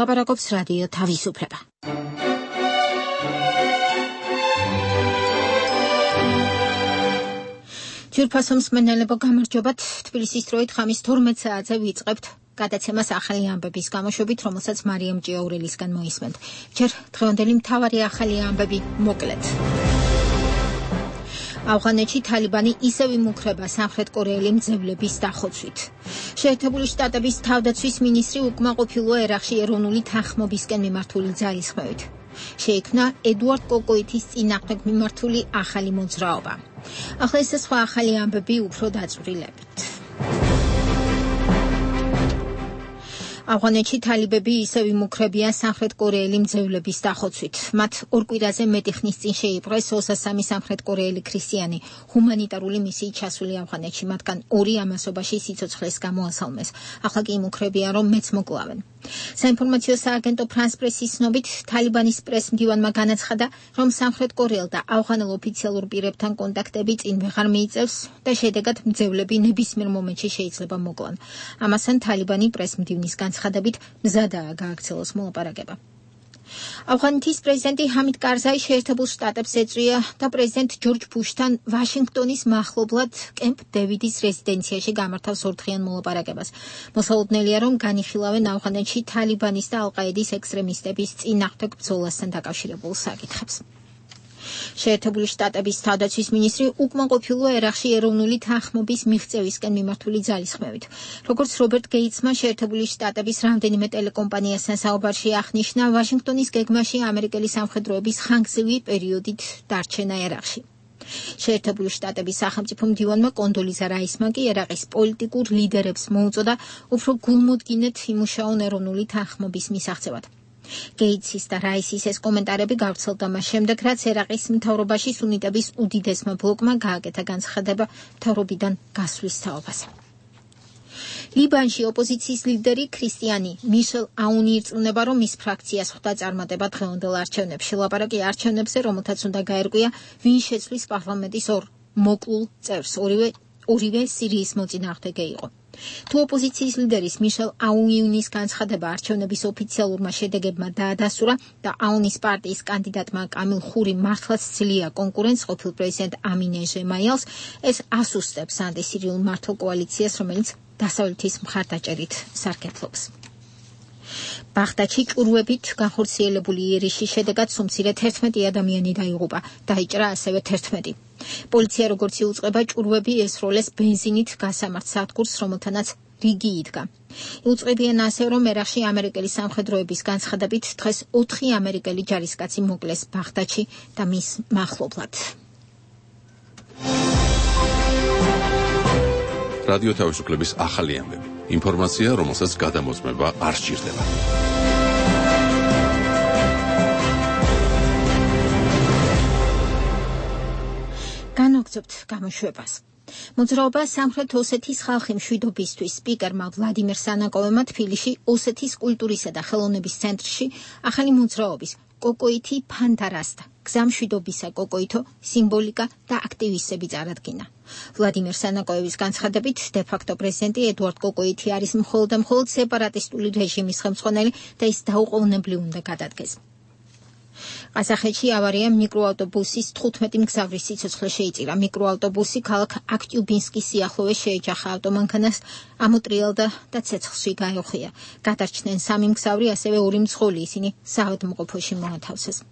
ლაპარაკობს რადიო თავისუფლება. ჯირფასო მსმენელებო, გამარჯობათ. თბილისის დროით ხამის 12 საათზე ვიწყებთ გადაცემას ახალი ამბების გამოშვებით, რომელსაც მარიამ ჭიაურელისგან მოისმენთ. ჯერ დღევანდელი მთავარი ახალი ამბები მოკლედ. ავღანეთში თალიბანი ისევ იმუქრება სამხრეთ კორეელი მძევლების დახოცვით. შეერთებული შტატების თავდაცვის მინისტრი უკმაყოფილოა ერაყში ეროვნული თანხმობისკენ მიმართული ძალისხმევით. შეიქმნა ედუარდ კოკოითის წინააღმდეგ მიმართული ახალი მოძრაობა. ახლა ეს სხვა ახალი ამბები უფრო დაწვრილებით. ავღანეთში თალიბები ისევ იმუქრებიან სამხრეთ კორეელი მძევლების დახოცვით. მათ ორ კვირაზე მეტი ხნის წინ შეიპყრეს 23 სამხრეთ კორეელი ქრისტიანი ჰუმანიტარული მისიით ჩასული ავღანეთში, მათგან 2 ამასობაში სიცოცხლეს გამოასალმეს. ახლა კი იმუქრებიან, რომ მეც მოკლავენ. საინფორმაციო სააგენტო ფრანს პრესის ცნობით, თალიბანის პრესმდივანმა განაცხადა, რომ სამხრეთ კორეელ და ავღანელ ოფიციალურ პირებთან კონტაქტები წინ ვეღარ მიიწევს და შედეგად მძევლები ნებისმიერ მომენტში შეიძლება მოკლან. ამასთან თალიბანი პრესმდივნის განცხადებით მზადაა გააქცელოს მოლაპარაკება. ავღანეთის პრეზიდენტი ჰამიდ კარზაი შეერთებულ შტატებს ეწვია და პრეზიდენტ ჯორჯ ბუშთან ვაშინგტონის მახლობლად კემპ დევიდის რეზიდენციაში გამართავს ორდღიან მოლაპარაკებას. მოსალოდნელია, რომ განიხილავენ ავღანეთში თალიბანის და ალ-ყაედის ექსტრემისტების წინააღმდეგ ბრძოლასთან დაკავშირებულ საკითხებს. შეერთებული შტატების თავდაცვის მინისტრი უკმაყოფილოა ერაყში ეროვნული თანხმობის მიღწევისკენ მიმართული ძალისხმევით. როგორც რობერტ გეიტსმა შეერთებული შტატების რამდენიმე ტელეკომპანიასთან საუბარში აღნიშნა, ვაშინგტონის გეგმაში ამერიკელი სამხედროების ხანგრძლივი პერიოდით დარჩენა ერაყში. შეერთებული შტატების სახელმწიფო მდივანმა კონდოლიზა რაისმა კი ერაყის პოლიტიკურ ლიდერებს მოუწოდა უფრო გულმოდგინედ იმუშაონ ეროვნული თანხმობის მისაღწევად. გეიტსის და რაისის ეს კომენტარები გავრცელდა მას შემდეგ, რაც ერაყის მთავრობაში სუნიტების უდიდესმა ბლოკმა გააკეთა განცხადება მთავრობიდან გასვლის თაობაზე. ლიბანში ოპოზიციის ლიდერი ქრისტიანი მიშელ აუნი ირწმუნება, რომ მის ფრაქციას ხვდა წარმატება დღევანდელ არჩევნებში. ლაპარაკი არჩევნებზე, რომელთაც უნდა გაერკვია, ვინ შეცვლის პარლამენტის ორ მოკლულ წევრს, ორივე სირიის მოწინააღმდეგე იყო. თუ ოპოზიციის ლიდერის მიშელ აუნის განცხადება არჩევნების ოფიციალურმა შედეგებმა დაადასტურა და აუნის პარტიის კანდიდატმა კამილ ხური მართლაც ძლია კონკურენტს ყოფილ პრეზიდენტ ამინე ჟემაიელს, ეს ასუსტებს ანტისირიულ მართლ კოალიციას, რომელიც დასავლეთის მხარდაჭერით სარგებლობს. ბაღდადში ჭურვებით განხორციელებული იერიშის შედეგად სუმცირე 11 ადამიანი დაიღუპა, დაიჭრა ასევე 11. პოლიცია როგორც იუწყება, ჭურვები ესროლეს ბენზინით გასამართ სადგურს, რომელთანაც რიგი იდგა. იუწყებიან ასევე, რომ ერაყში ამერიკელი სამხედროების განცხადებით დღეს 4 ამერიკელი ჯარისკაცი მოკლეს ბაღდადში და მის მახლობლად. რადიო თავისუფლების ახალი ამბები. ინფორმაცია, რომელსაც გადამოწმება არ სჭირდება. განვაგრძობთ გამოშვებას. მოძრაობა სამხრეთ ოსეთის ხალხი მშვიდობისთვის სპიკერმა ვლადიმერ სანაკოვმა თბილისში ოსეთის კულტურისა და ხელოვნების ცენტრში ახალი მოძრაობის კოკოითი ფანტარასტა გზამშვიდობისა კოკოითო სიმბოლიკა და აქტივისტები წარადგინა. ვლადიმერ სანაკოევის განცხადებით, დე-ფაქტო პრეზიდენტი ედუარდ კოკოითი არის მხოლოდ სეპარატისტული რეჟიმის ხელმძღვანელი და ის დაუყოვნებლივ უნდა გადადგეს. ყაზახეთში ავარიამ მიკროავტობუსის 15 მგზავრის სიცოცხლე შეიწირა. მიკროავტობუსი ქალაქ აქტიუბინსკის სიახლოვეს შეეჯახა ავტომანქანას, ამოტრიალდა და ცეცხლში გაეუხია. გადარჩნენ 3 მგზავრი, ასევე 2 მძღოლი, ისინი საავადმყოფოში მოათავსეს.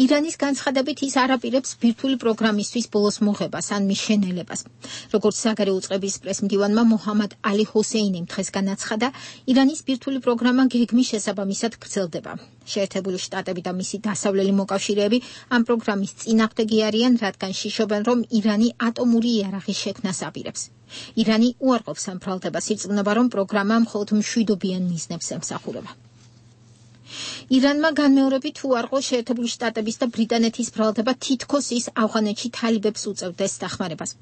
ირანის განცხადებით ის არ აპირებს ბირთვული პროგრამისთვის ბოლოს მოღებას ან მიშენელებას. როგორც საგარეო უწყების პრესმდივანმა მოჰამად ალი ჰოსეინიმ დღეს განაცხადა, ირანის ბირთვული პროგრამა გეგმის შესაბამისად გრძელდება. შეერთებული შტატები და მისი დასავლელი მოკავშირეები ამ პროგრამის წინააღმდეგი არიან, რადგან შიშობენ, რომ ირანი ატომური იარაღის შექმნას აპირებს. ირანი უარყოფს ამ ბრალდებას, ირწმუნება, რომ პროგრამა მხოლოდ მშვიდობიან მიზნებს ემსახურება. ირანმა განმეორებით უარყო შეერთებული შტატების და ბრიტანეთის ბრალდება თითქოს ის ავღანეთში თალიბებს უწევდეს დახმარებას.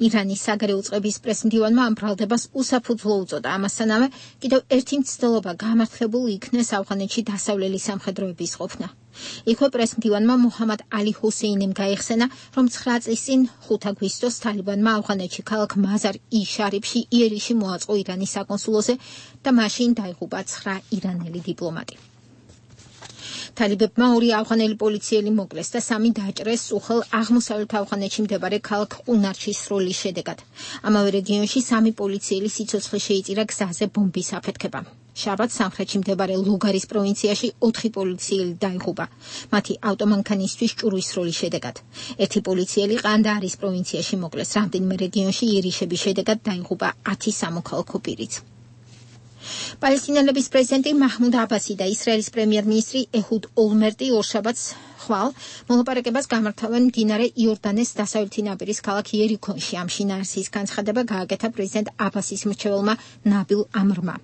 ირანის საგარეო უწყების პრესმდივანმა ამ ბრალდებას უსაფუძვლო უწოდა. ამასთანავე კიდევ ერთი მცდელობა გამართლებული იქნეს ავღანეთში დასავლელი სამხედროების ყოფნა. იქვე პრესმდივანმა მუჰამად ალი ჰუსეინიმ გაიხსენა, რომ 9 წლის წინ 5 აგვისტოს თალიბანმა ავღანეთში ქალაქ მაზარ-ი-შარიფში იერიში მოაწყო ირანის საკონსულოზე და მაშინ დაიღუპა 9 ირანელი დიპლომატი. თალიბებმა 2 ავღანელი პოლიციელი მოკლეს და 3 დაჭრეს უხელ აღმოსავლეთ ავღანეთში მდებარე ქალაქ ყუნარჩის სროლის შედეგად. ამავე რეგიონში 3 პოლიციელი სიცოცხლე შეიწირა გზაზე ბომბის აფეთქება. შაბათს სამხრეთში მდებარე ლუგარის პროვინციაში 4 პოლიციელი დაიღუპა. მათი ავტომანქანისთვის ჭურვის სროლის შედეგად. 1 პოლიციელი ყანდაარის პროვინციაში მოკლეს. რამდენიმე რეგიონში იერიშების შედეგად დაიღუპა 10 სამოქალაქო პირიც. პალესტინელების პრეზიდენტი მაჰმუდ აბასი და ისრაელის პრემიერ-მინისტრი ეჰუდ ოლმერტი ორშაბათს ხვალ მოლაპარაკებას გამართავენ მდინარე იორდანეს დასავლეთი ნაპირის ქალაქ იერიქონში. ამ შინაარსის განცხადება გააკეთა პრეზიდენტ აბასის მრჩეველმა ნაბილ ამრმა.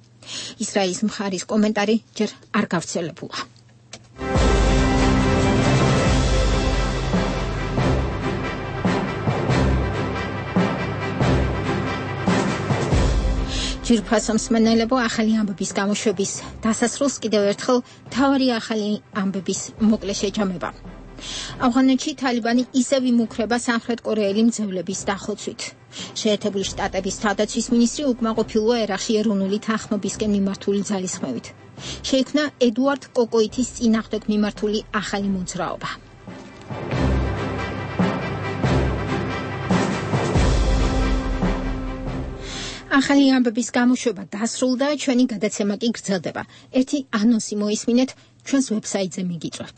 ისრაელის მხარის კომენტარი ჯერ არ გავრცელებულა. ძირფასო მსმენელებო, ახალი ამბების გამოშვების დასასრულს კიდევ ერთხელ მთავარი ახალი ამბების მოკლე შეჯამება. ავღანეთში თალიბანი ისევ იმუქრება სამხრეთ კორეელი მძევლების დახოცვით. შეერთებული შტატების თავდაცვის მინისტრი უკმაყოფილოა ერაყში ეროვნული თანხმობისკენ მიმართული ძალისხმევით. შეიქმნა ედუარდ კოკოითის წინააღმდეგ მიმართული ახალი მოძრაობა. ახალი ამბების გამოშვება დასრულდა, ჩვენი გადაცემა კი გრძელდება. ერთი ანონსი მოისმინეთ, ჩვენს ვებსაიტზე მიგიწვევთ.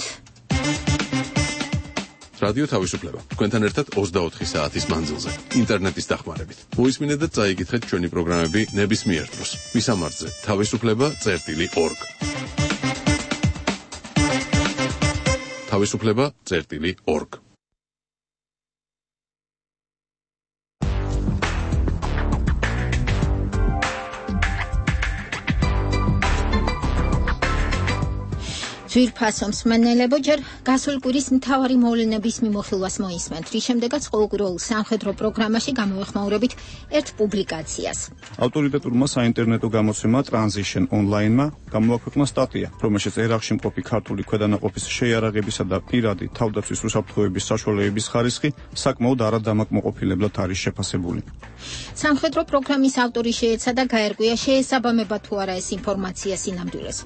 რადიო თავისუფლება. თქვენთან ერთად 24 საათის მანძილზე, ინტერნეტის დახმარებით. მოისმინეთ და წაიკითხეთ ჩვენი პროგრამები ნებისმიერ დროს. მისამართზე თავისუფლება.org. თავისუფლება.org. ძვირფასო მსმენელებო, ჯერ გასული კვირის მთავარი მოვლენების მიმოხილვას მოისმენთ, რის შემდეგაც ყოველკვირეულ სამხედრო პროგრამაში გამოვეხმაურებით ერთ პუბლიკაციას. ავტორიტეტურმა საინტერნეტო გამოცემა Transition Online-მა გამოაქვეყნა სტატია, რომელშიც ერაყში მყოფი ქართული ქვედანაყოფის შეიარაღებისა და პირადი თავდაცვის უსაფრთხოების საშუალებების ხარისხი საკმაოდ არადამაკმაყოფილებლად არის შეფასებული. სამხედრო პროგრამის ავტორი შეეცადა გაერკვია შეესაბამება თუ არა ეს ინფორმაცია სინამდვილეს.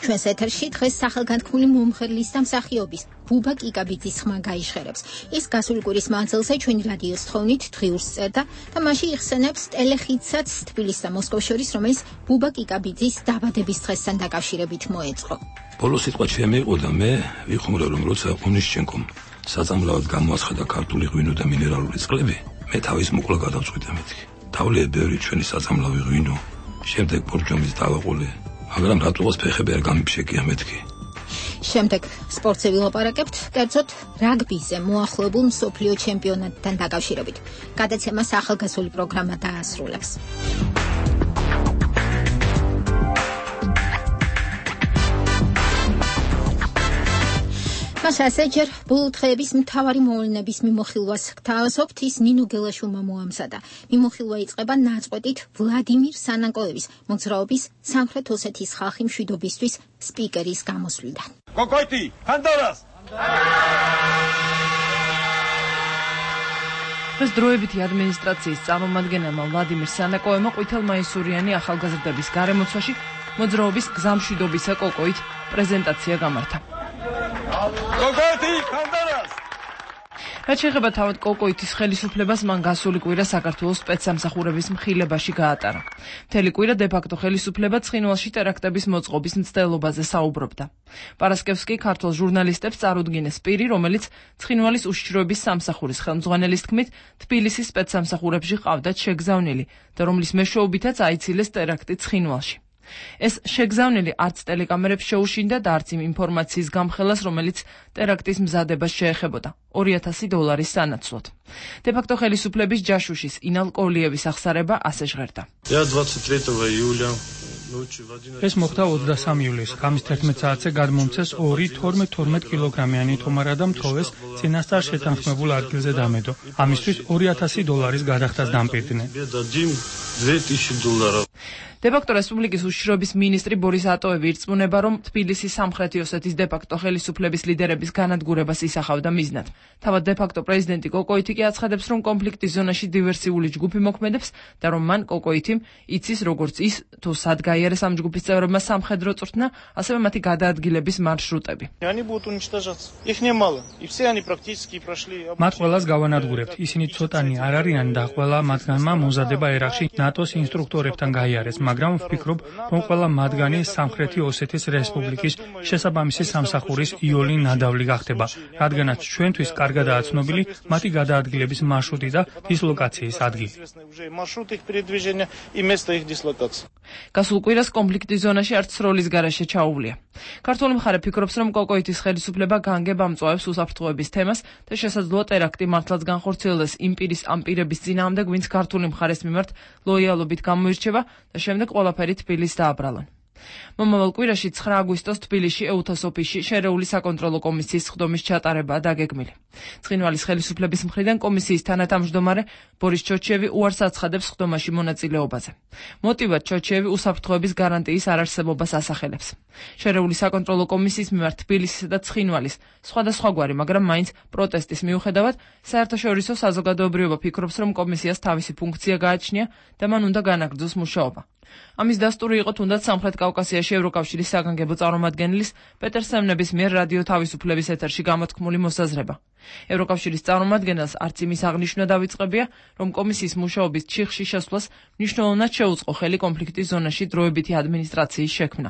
ჩვენს ეთერში დღეს სახელგანთქმული მომხერლის და მსახიობის ბუბა კიკაბიძის ხმა გაიჟღერებს. ის გასული კვირის მანძილზე ჩვენი რადიოს თხოვნით დღიურს წერდა და მასში იხსენებს ტელეხიდსაც თბილისს და მოსკოვს შორის, რომელიც ბუბა კიკაბიძის დაბადების დღესთან დაკავშირებით მოეწყო. ბოლო სიტყვა ჩემი იყო და მე ვიხმურე, რომ როცა ონისჩენკომ საწამლავად გამოაცხადა ქართული ღვინო და მინერალური წყლები, მე თავის მოკლა გადავწყვიტე მეთქი. თავლეე ბევრი ჩვენი საწამლავი ღვინო, შემდეგ ბორჯომის დავაყოლე, მაგრამ რატოღაც ფეხები არ გამიფშეკია მეთქი. შემდეგ სპორტზე ვილაპარაკებთ, კერძოდ რაგბიზე მოახლოებულ მსოფლიო ჩემპიონატთან დაკავშირებით. გადაცემას ახალგაზრდული პროგრამა დაასრულებს. მასაზე ჯერ ბოლო დღეების მთავარი მოვლენების მიმოხილვას გთავაზობთ, ის ნინო გელაშვილმა მოამზადა. მიმოხილვა იწყება ნაწყვეტით ვლადიმირ სანანკოევის მოძრაობის სამხრეთ ოსეთის ხალხი მშვიდობისთვის სპიკერის გამოსვლიდან. კოკოიტი, ხანდარას! ეს დროებითი ადმინისტრაციის წარმომადგენელმა ვლადიმირ სანანკოევმა ყვითელმაისურიანი ახალგაზრდების გარემოცვაში მოძრაობის გზამშვიდობისა კოკოით პრეზენტაცია გამართა. კოკოიტი, ხანდარას! რაც შეეხება თავად კოკოითის ხელისუფლებას, მან გასული კვირა საქართველოს სპეცსამსახურების მხილებაში გაატარა. მთელი კვირა დე-ფაქტო ხელისუფლება ცხინვალში ტერაქტების მოწყობის მცდელობაზე საუბრობდა. პარასკევს კი ქართულ ჟურნალისტებს წარუდგინეს პირი, რომელიც ცხინვალის უშიშროების სამსახურის ხელმძღვანელის თქმით, თბილისის სპეცსამსახურებში ყავდათ შეგზავნილი და რომლის მეშვეობითაც აიცილეს ტერაქტი ცხინვალში. ეს შეგზავნილი არც ტელეკამერებს შეუშინდა და არც იმ ინფორმაციის გამხელას, რომელიც ტერაქტის მზადებას შეეხებოდა $2,000 სანაცვლოდ. დე-ფაქტო ხელისუფლების ჯაშუშის ინალ კოლიევის აღსარება ასე ჟღერდა. ეს მოხდა 23 ივლისს. ღამის 11 საათზე გადმომცეს 2 12 კილოგრამიანი თომარა და მთოვეს წინასწარ შეთანხმებულ ადგილზე დამედო. ამისთვის $2,000 გადახდას დამპირდნენ. დე-ფაქტო რესპუბლიკის უშიშროების მინისტრი ბორის ატოევი ირწმუნება, რომ თბილისის სამხრეთი ოსეთის დე-ფაქტო ხელისუფლების ლიდერების განადგურებას ისახავდა მიზნად. თავად დე-ფაქტო პრეზიდენტი კოკოიტი კი აცხადებს, რომ კონფლიქტის ზონაში დივერსიული ჯგუფი მოქმედებს და რომ მან კოკოიტიმ იცის როგორც ის, თუ სად გაიარეს ამ ჯგუფის წევრებმა სამხედრო წვრთნა, ასევე მათი გადაადგილების მარშრუტები. მათ ყველას გავანადგურებთ. ისინი ცოტანი არ არიან და ყველა მათგანმა მომზადება ერაყში ნატოს ინსტრუქტორებთან გაიარეს, მაგრამ ვფიქრობ, რომ ყველა მათგანი სამხრეთი ოსეთის რესპუბლიკის შესაბამისი სამსახურის იოლი ნადავლი გახდება, რადგანაც ჩვენთვის კარგადაა ცნობილი მათი გადაადგილების მარშრუტი და დისლოკაციის ადგილი. გასულ კვირას კონფლიქტის ზონაში არც სროლის გარეშე ჩაუვლია. ქართული მხარე ფიქრობს, რომ კოკოიტის ხელისუფლება განგებ ამწვავებს უსაფრთხოების თემას და შესაძლოა ტერაქტი მართლაც განხორციელდეს იმ პირის ამ პირების წინააღმდეგ, ვინც ქართული მხარის მიმართ ლოიალობით გამოირჩევა და შემდეგ ყველაფერი თბილისს დააბრალონ. მომავალ კვირაში 9 აგვისტოს თბილისში ეუთოს ოფისში შერეული საკონტროლო კომისიის სხდომის ჩატარებაა დაგეგმილი. ცხინვალის ხელისუფლების მხრიდან კომისიის თანათავმჯდომარე ბორის ჩოჩიევი უარს აცხადებს სხდომაში მონაწილეობაზე. მოტივად ჩოჩიევი უსაფრთხოების გარანტიის არარსებობას ასახელებს. შერეული საკონტროლო კომისიის მიმართ თბილისისა და ცხინვალის სხვადასხვაგვარი, მაგრამ მაინც პროტესტის მიუხედავად, საერთაშორისო საზოგადოებრიობა ფიქრობს, რომ კომისიას თავისი ფუნქცია გააჩნია და მან უნდა განაგრძოს მუშაობა. ამის დასტური იყო თუნდაც სამხრეთ კავკასიაში ევროკავშირის საგანგებო წარმომადგენლის პეტერ სემნების მიერ რადიო თავისუფლების ეთერში გამოთქმული მოსაზრება. ევროკავშირის წარმომადგენელს არც იმის აღნიშვნა დავიწყებია, რომ კომისიის მუშაობის ჩიხში შესვლას მნიშვნელოვნად შეუწყო ხელი კონფლიქტის ზონაში დროებითი ადმინისტრაციის შექმნა.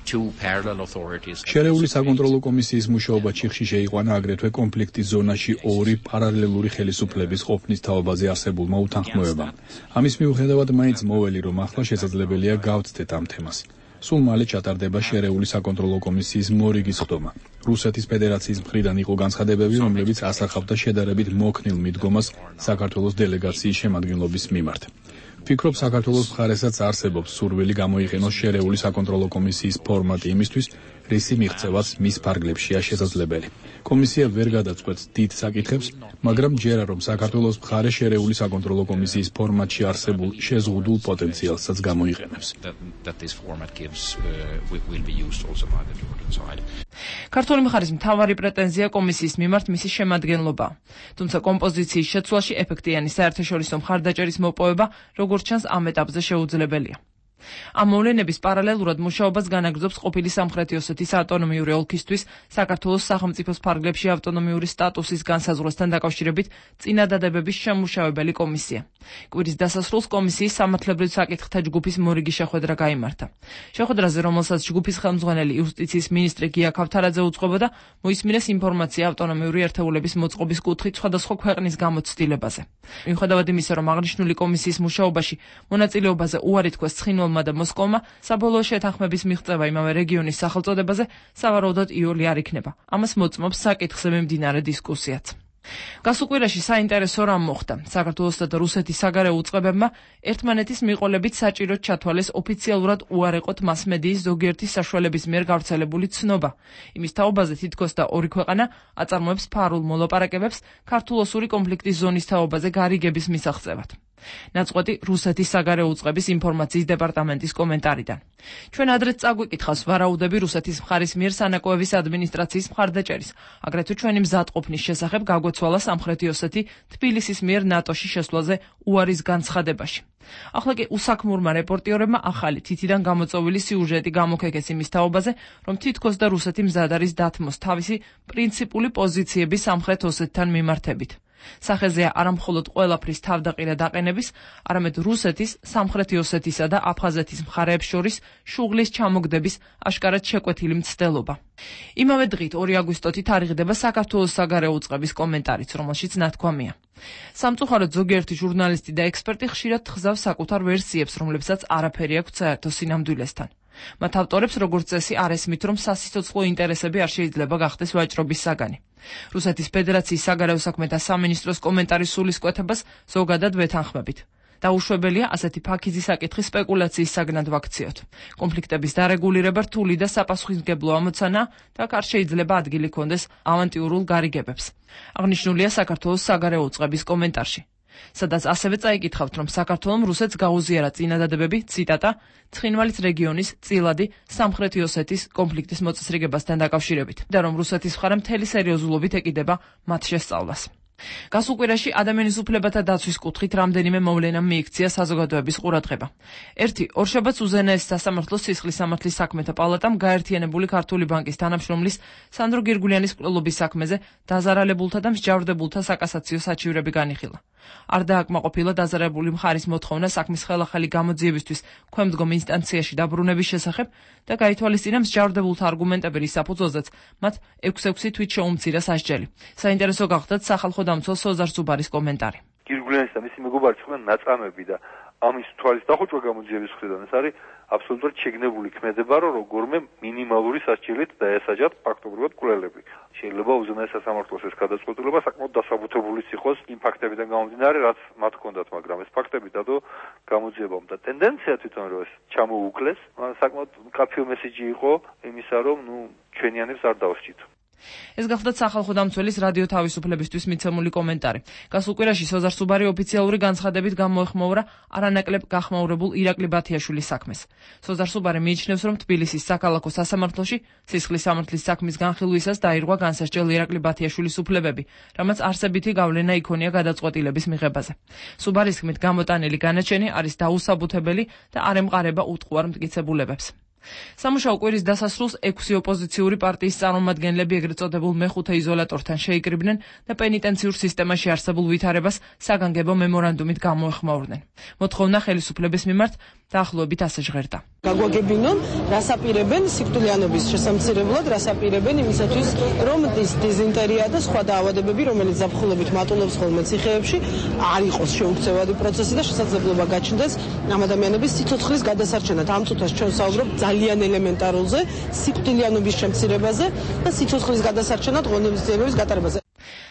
შერეული საკონტროლო კომისიის მუშაობა ჩიხში შეიყვანა აგრეთვე კონფლიქტის ზონაში ორი პარალელური ხელისუფლების ყოფნის თაობაზე არსებულმა უთანხმოებამ. ამის მიუხედავად მაინც მოველი, რომ ახლა შესაძლებელია გავცდეთ ამ თემას. სულ მალე ჩატარდება შერეული საკონტროლო კომისიის მორიგის სხდომა. რუსეთის ფედერაციის მხრიდან იყო განცხადებები, რომლებიც ასახავდა შედარებით მოქნილ მიდგომას საქართველოს დელეგაციის შემადგენლობის მიმართ. ვფიქრობ, საქართველოს მხარესაც არსებობს სურვილი გამოიყენოს შერეული საკონტროლო კომისიის ფორმატი იმისთვის, რისი მიღწევაც მის ფარგლებშია შესაძლებელი. კომისია ვერ გადაწყვეტს დიდ საკითხებს, მაგრამ ჯერა რომ საქართველოს მხარე შერეული საკონტროლო კომისიის ფორმატში არსებულ შეზღუდულ პოტენციალსაც გამოიყენებს. ქართული მხარის მთავარი პრეტენზია კომისიის მიმართ მისი შემადგენლობაა. თუმცა კომპოზიციის შეცვლაში ეფექტიანი საერთაშორისო მხარდაჭერის მოპოვება, როგორც ჩანს, ამ ეტაპზე შეუძლებელია. ამ მოვლენების პარალელურად მუშაობას განაგრძობს ყოფილი სამხრეთი ოსეთის ავტონომიური ოლქისთვის საქართველოს სახელმწიფოს ფარგლებში ავტონომიური სტატუსის განსაზღვრასთან დაკავშირებით წინადადებების შემმუშავებელი კომისია. კვირის დასასრულს კომისიის სამართლებრივ საკითხთა ჯგუფის მორიგი შეხვედრა გაიმართა. შეხვედრაზე, რომელსაც ჯგუფის ხელმძღვანელი იუსტიციის მინისტრი გია ქავთარაძე უძღვებოდა, მოისმინეს ინფორმაცია ავტონომიური ერთეულების მოწყობის კუთხით სხვადასხვა ქვეყნის გამოცდილებაზე. მიუხედავად იმისა, რომ აღნიშნული კომისიის მუშაობაში მონაწილეობაზე უარი თქვეს ცხინვალმა და მოსკოვმა, საბოლოო შეთანხმების მიღწევა იმავე რეგიონის სახელწოდებაზე სავარაუდოდ იოლი არ იქნება. ამას მოწმობს საკითხზე მიმდინარე დისკუსიაც. გასულ კვირაში საინტერესო რამ მოხდა. საქართველოსა და რუსეთის საგარეო უწყებებმა ერთმანეთის მიყოლებით საჭიროდ ჩათვალეს ოფიციალურად უარეყოთ მასმედიის ზოგიერთი საშუალების მიერ გავრცელებული ცნობა. იმის თაობაზე თითქოს და ორი ქვეყანა აწარმოებს ფარულ მოლაპარაკებებს ქართულ-ოსური კონფლიქტის ზონის თაობაზე გარიგების მისაღწევად. ნაწყვეტი რუსეთის საგარეო უწყების ინფორმაციის დეპარტამენტის კომენტარიდან. ჩვენ ადრეც წაგვიკითხავს ვარაუდები რუსეთის მხარის მიერ სანაკოევის ადმინისტრაციის მხარდაჭერის, აგრეთვე ჩვენი მზადყოფნის შესახებ გაგვეცვალა სამხრეთი ოსეთი თბილისის მიერ ნატოში შესვლაზე უარის განცხადებაში. ახლა კი უსაქმურმა რეპორტიორებმა ახალი თითიდან გამოწვეული სიუჟეტი გამოგეკეს იმის თაობაზე, რომ თითქოს და რუსეთი მზად არის დათმოს თავისი პრინციპული პოზიციები სამხრეთ ოსეთთან მიმართებით. სახეზეა არამხოლოდ ყველაფრის თავდაყირა დაყენების, არამედ რუსეთის, სამხრეთი ოსეთისა და აფხაზეთის მხარეებს შორის შუღლის ჩამოგდების აშკარად შეკვეთილი მცდელობა. იმავე დღით 2 აგვისტოთი თარიღდება საქართველოს საგარეო უწყების კომენტარიც, რომელშიც ნათქვამია. სამწუხაროდ ზოგიერთი ჟურნალისტი და ექსპერტი ხშირად თხზავს საკუთარ ვერსიებს, რომლებსაც არაფერი აქვს საერთო სინამდვილესთან. მათ ავტორებს როგორც წესი არ ესმით, რომ სასიცოცხლო ინტერესები არ შეიძლება გახდეს ვაჭრობის საგანი. რუსეთის ფედერაციის საგარეო საქმეთა სამინისტროს კომენტარის სულისკვეთებას ზოგადად ვეთანხმებით. დაუშვებელია ასეთი ფაქიზი საკითხი სპეკულაციის საგნად ვაქციოთ. კონფლიქტების დარეგულირება რთული და საპასუხისმგებლო ამოცანა და არ შეიძლება ადგილი ჰქონდეს ავანტიურულ გარიგებებს. აღნიშნულია საქართველოს საგარეო უწყების კომენტარში. სადაც ასევე წაიკითხავთ, რომ საქართველომ რუსეთს გაუზიარა წინადადებები, ციტატა, ცხინვალის რეგიონის, წილადი, სამხრეთი ოსეთის კონფლიქტის მოწესრიგებასთან დაკავშირებით და რომ რუსეთის მხარე მთელი სერიოზულობით ეკიდება მათ შესწავლას. გასულ კვირაში ადამიანის უფლებათა დაცვის კუთხით რამდენიმე მოვლენამ მიიქცია საზოგადოების ყურადღება. ერთი, ორშაბათს უზენაეს სასამართლოს სისხლის სამართლის საქმეთა პალატამ გაერთიანებული ქართული ბანკის თანამშრომლის სანდრო გირგულიანის მკვლელობის საქმეზე დაზარალებულთა და მსჯავრდებულთა საკასაციო საჩივრები განიხილა. არ დააკმაყოფილა დაზარალებული მხარის მოთხოვნა საქმის ხელახალი გამოძიებისთვის ქვემდგომ ინსტანციაში დაბრუნების შესახებ და გაითვალისწინა მსჯავრდებულთა არგუმენტები, რის საფუძველზეც მათ 6-6 თვით შეუმცირა სასჯელი. საინტერესო გახდათ სახალხო დამცველ სოზარ სუბარის კომენტარი. გირგულიანის და მისი მეგობარის ხმენ ნაწამები და ამის თვალის დახოჭვა გამოძიების მხრიდან ეს არის აბსოლუტურად შეგნებული ქმედება, რომ როგორმე მინიმალური სასჯელით დაესაჯათ ფაქტობრივად მკვლელები. შეიძლება უზენაეს სასამართლოს ეს გადაწყვეტილება საკმაოდ დასაბუთებულიც იყოს იმ ფაქტებიდან გამომდინარე, რაც მათ ჰქონდათ, მაგრამ ეს ფაქტები დადო გამოძიებამ და ტენდენცია თვითონ რომ ეს ჩამოუკლეს, საკმაოდ მკაფიო მესიჯი იყო იმისა, რომ ჩვენიანებს არ დავსჭით. ეს გახლდათ სახალხო დამცველის რადიო თავისუფლებისთვის მიცემული კომენტარი. გასულ კვირაში სოზარ სუბარი ოფიციალური განცხადებით გამოეხმაურა არანაკლებ გახმაურებულ ირაკლი ბათიაშვილის საქმეს. სოზარ სუბარი მიიჩნევს, რომ თბილისის საქალაქო სასამართლოში სისხლის სამართლის საქმის განხილვისას დაირღვა განსასჯელ ირაკლი ბათიაშვილის უფლებები, რამაც არსებითი გავლენა იქონია გადაწყვეტილების მიღებაზე. სუბარის თქმით, გამოტანილი განაჩენი არის დაუსაბუთებელი და არ ემყარება უტყუარ მტკიცებულებებს. სამუშაო კვირის დასასრულს 6 ოპოზიციური პარტიის წარმომადგენლები ეგრეთ წოდებულ მეხუთე იზოლატორთან შეიკრიბნენ და პენიტენციურ სისტემაში არსებულ ვითარებას საგანგებო მემორანდუმით გამოეხმაურნენ. მოთხოვნა ხელისუფლების მიმართ დაახლოებით ასე ჟღერდა. გაგვაგებინონ, რას აპირებენ სიკვდილიანობის შესამცირებლად, რას აპირებენ იმისათვის, რომ დიზენტერია და სხვა დაავადებები, რომელიც ზაფხულობით მატულობს ხოლმე ციხეებში, არ იყოს შეუქცევადი პროცესი და შესაძლებლობა გაჩნდეს ამ ადამიანების სიცოცხლის გადასარჩენად. ამ წუთას ჩვენ ვსაუბრობ ძალიან ელემენტარულზე, სიკვდილიანობის შემცირებაზე და სიცოცხლის გადასარჩენად ღონისძიებების გატარებაზე.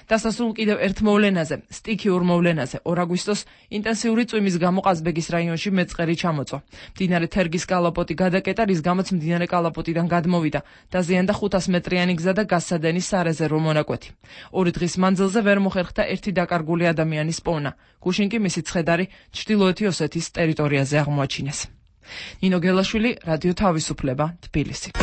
დასასრულ კიდევ ერთ მოვლენაზე, სტიქიურ მოვლენაზე, 2 აგვისტოს ინტენსიური წვიმის გამო ყაზბეგის რაიონში მეწყერი ჩამოწვა. მდინარე თერგის კალაპოტი გადაკეტა, რის გამოც მდინარე კალაპოტიდან გადმოვიდა, დაზიანდა 500 მეტრიანი გზა და გასცადენის სარეზერვო მონაკვეთი. 2 დღის მანძილზე ვერ მოხერხდა ერთი დაკარგული ადამიანის პოვნა. გუშინ კი მისი ცხედარი ჩრდილოეთი ოსეთის ტერიტორიაზე აღმოაჩინეს. ნინო გელაშვილი, რადიო თავისუფლება, თბილისი.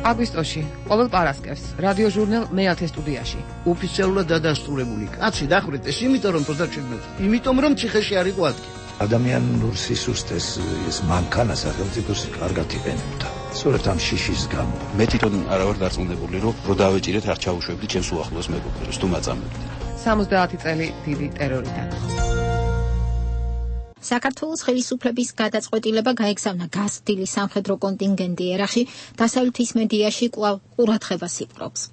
აგვისტოში, ყოველ პარასკევს, რადიო ჟურნალ მე-10 სტუდიაში. ოფიციალურად დადასტურებული კაცი დახვრიტეს, იმიტომ რომ 27, იმიტომ რომ ციხეში არ იყო ადგილი. ადამიანურ სისუსტეს ეს მანქანა სახელმწიფოს კარგად იყენებდა. სწორედ ამ შიშის გამო. მე თვითონ არა ვარ დარწმუნებული, რომ დავეჭირეთ არ ჩაუშვებდი ჩემს უახლოეს მეგობრებს, თუ მაწამებდი. 70 წელი დიდი ტერორიდან. საქართველოს ხელისუფლების გადაწყვეტილება გაეგზავნა გაზრდილი სამხედრო კონტინგენტი ერახში, დასავლეთის მედიაში კვლავ ყურადღებას იპყრობს.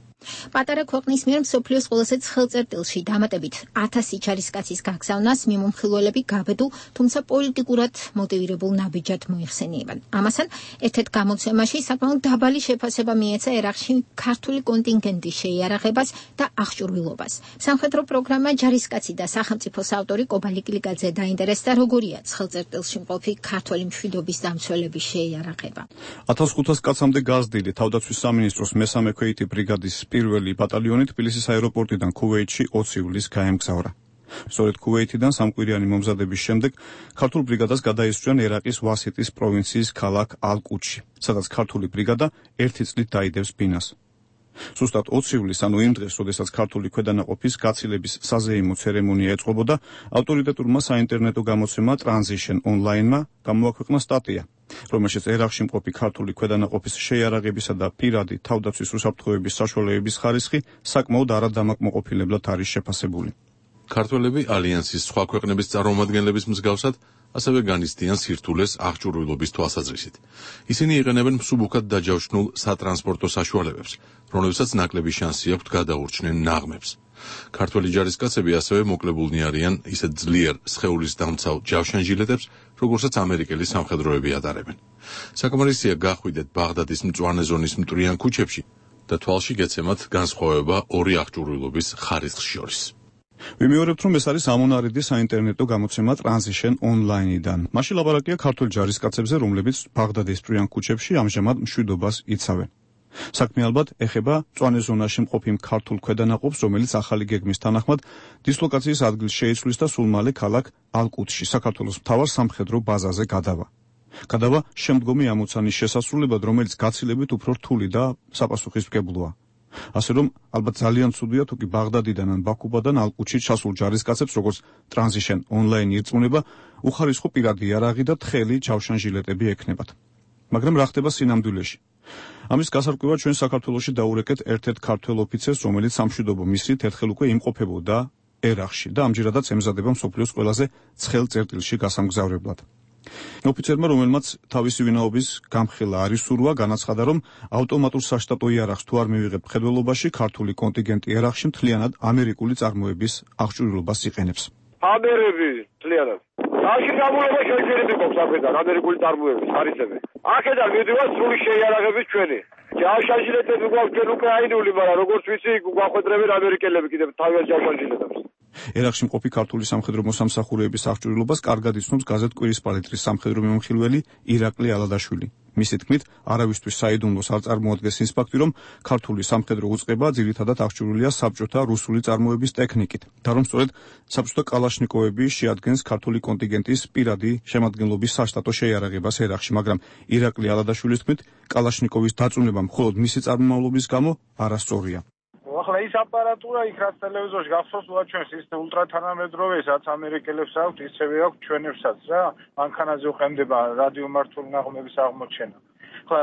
პატარა ქვეყნის მიერ მსოფლიოს ყველაზე ცხელ წერტილში დამატებით 1000 ჯარისკაცის გაგზავნას მიმომხილველები გაბედულ, თუმცა პოლიტიკურად მოტივირებულ ნაბიჯად მოიხსენიებენ. ამასთან ერთ-ერთ გამოცემაში საკმაოდ დაბალი შეფასება მიეცა ერახში ქართული კონტინგენტის შეიარაღებას და აღჭურვილობას. სამხედრო პროგრამა ჯარისკაცი და სახელმწიფოს ავტორი კობალი კილიკაძე დაინტერესდა, როგორია ცხელ წერტილში მყოფი ქართული მშვიდობის დამცველების შეიარაღება. 1500 კაცამდე გაზრდილი თავდაცვის სამინისტროს მესამე ქვეითი ბრიგადის პირველი ბატალიონი თბილისის აეროპორტიდან ქუვეითში 20 ივლისს გაემგზავრა. სწორედ ქუვეითიდან სამკვირიანი მომზადების შემდეგ ქართულ ბრიგადას გადაისვნენ ერაყის ვასიტის პროვინციის ქალაქ ალ-კუჩში, სადაც ქართული ბრიგადა 1 წლით დაიდევს ბინას. ზუსტად 20 ივლისს, ანუ იმ დღეს, როდესაც ქართული ქვედანაყოფის გაცილების საზეიმო ცერემონია ეწყობოდა, ავტორიტეტურმა საინტერნეტო გამოცემა Transition Online-მა გამოაქვეყნა სტატია, რომელშიც ერაყში მყოფი ქართული ქვედანაყოფის შეიარაღებისა და პირადი თავდაცვის უსაფრთხოების საშუალებების ხარისხი საკმაოდ არადამაკმაყოფილებლად არის შეფასებული. ქართველები ალიანსის სხვა ქვეყნების წარმომადგენლების მსგავსად ასევე განიცდიან სირთულეს აღჭურვილობის თვალსაზრისით. ისინი იყენებენ მსუბუქად დაჯავშნულ სატრანსპორტო საშუალებებს, რომლებსაც ნაკლები შანსი აქვთ გადაურჩნენ ნაღმებს. ქართველი ჯარისკაცები ასევე მოკლებულნი არიან ისეთ ძლიერ სხეულის დამცავ ჯავშანჟილეტებს, როგორცაც ამერიკელი სამხედროები ატარებენ. საკმარისია გახვიდეთ ბაღდადის მწვანე ზონის მტვრიან ქუჩებში და თვალში გეცემათ განსხვავება ორი აღჭურვილობის ხარისხს შორის. ვიმეორებთ, რომ ეს არის ამონარიდი საინტერნეტო გამოცემა Transition Online-დან. მაშინ ლაპარაკია ქართულ ჯარისკაცებზე, რომლებიც ბაღდადის მტვრიან ქუჩებში ამჟამად მშვიდობას იცავენ. საქმე ალბათ ეხება მწვანე ზონაში მყოფ იმ ქართულ ქვედანაყოფს, რომელიც ახალი გეგმის თანახმად დისლოკაციის ადგილს შეიცვლის და სულ მალე ქალაქ ალკუტში, საქართველოს მთავარ სამხედრო ბაზაზე გადავა. გადავა შემდგომი ამოცანის შესასრულებლად, რომელიც გაცილებით უფრო რთული და საპასუხისმგებლოა. ასე რომ, ალბათ ძალიან ცუდია თუ კი ბაღდადიდან ან ბაქუბადან ალკუტში ჩასულ ჯარისკაცებს, როგორც Transition Online ირწმუნება, უხარისხო პირადი იარაღი და თხელი ჯავშანჟილეტები ექნებათ. მაგრამ რა ხდება სინამდვილეში? ამის გასარკვევად ჩვენ საქართველოში დაურეკეთ ერთ-ერთ ქართველ ოფიცერს, რომელიც სამშვიდობო მისრით ერთხელ უკვე იმყოფებოდა ერახში და ამჯერადაც ემზადება მსოფლიოს ყველაზე ცხელ წერტილში გასამგზავრებლად. ოფიცერმა, რომელმაც თავისი ვინაობის გამხელა არ ისურვა, განაცხადა, რომ ავტომატურ საშტატო იარაღს თუ არ მივიღებ მხედველობაში, ქართული კონტინგენტი ერახში მთლიანად ამერიკული წარმოების აღჭურვილობას იყენებს. ამერები მთლიანად. აქ გამულება შეიძლება იყოს აქედან ამერიკული წარმოების ხარისები. აქედან მიდივართ სრული შეიარაღების ჩვენი. ჯავშანჟილეტები გვაქვს ჩვენ უკრაინული, მაგრამ როგორც ვიცი, გვახვედრებენ ამერიკელები კიდევ თავიანთ ჯავშანჟილეტებს. ერახში მყოფი ქართული სამხედრო მოსამსახურეების აღჭურვილობას კარგად იცნობს გაზეთ კვირის პალიტრის სამხედრო მიმოხილველი ირაკლი ალადაშვილი. მისი თქმით, არავისთვის საიდუმლოს არ წარმოადგენს ის ფაქტი, რომ ქართული სამხედრო უწყება ძირითადად აღჭურვილია საბჭოთა რუსული წარმოების ტექნიკით და რომ სწორედ საბჭოთა კალაშნიკოვები შეადგენს ქართული კონტინგენტის პირადი შემადგენლობის საშტატო შეიარაღებას ერახში, მაგრამ ირაკლი ალადაშვილის თქმით, კალაშნიკოვის დაწუნება მხოლოდ მისი წარმომავლობის გამო არასწორია. ახლა ის აპარატურა იქ რაც ტელევიზორში გახსოვს უაჩვენს ის ულტრათანამედროვე, რაც ამერიკელებს აქვთ, ისევე აქვთ ჩვენებსაც რა. მანქანაზე უყენდება რადიომართული ნაღმების აღმოჩენა. ახლა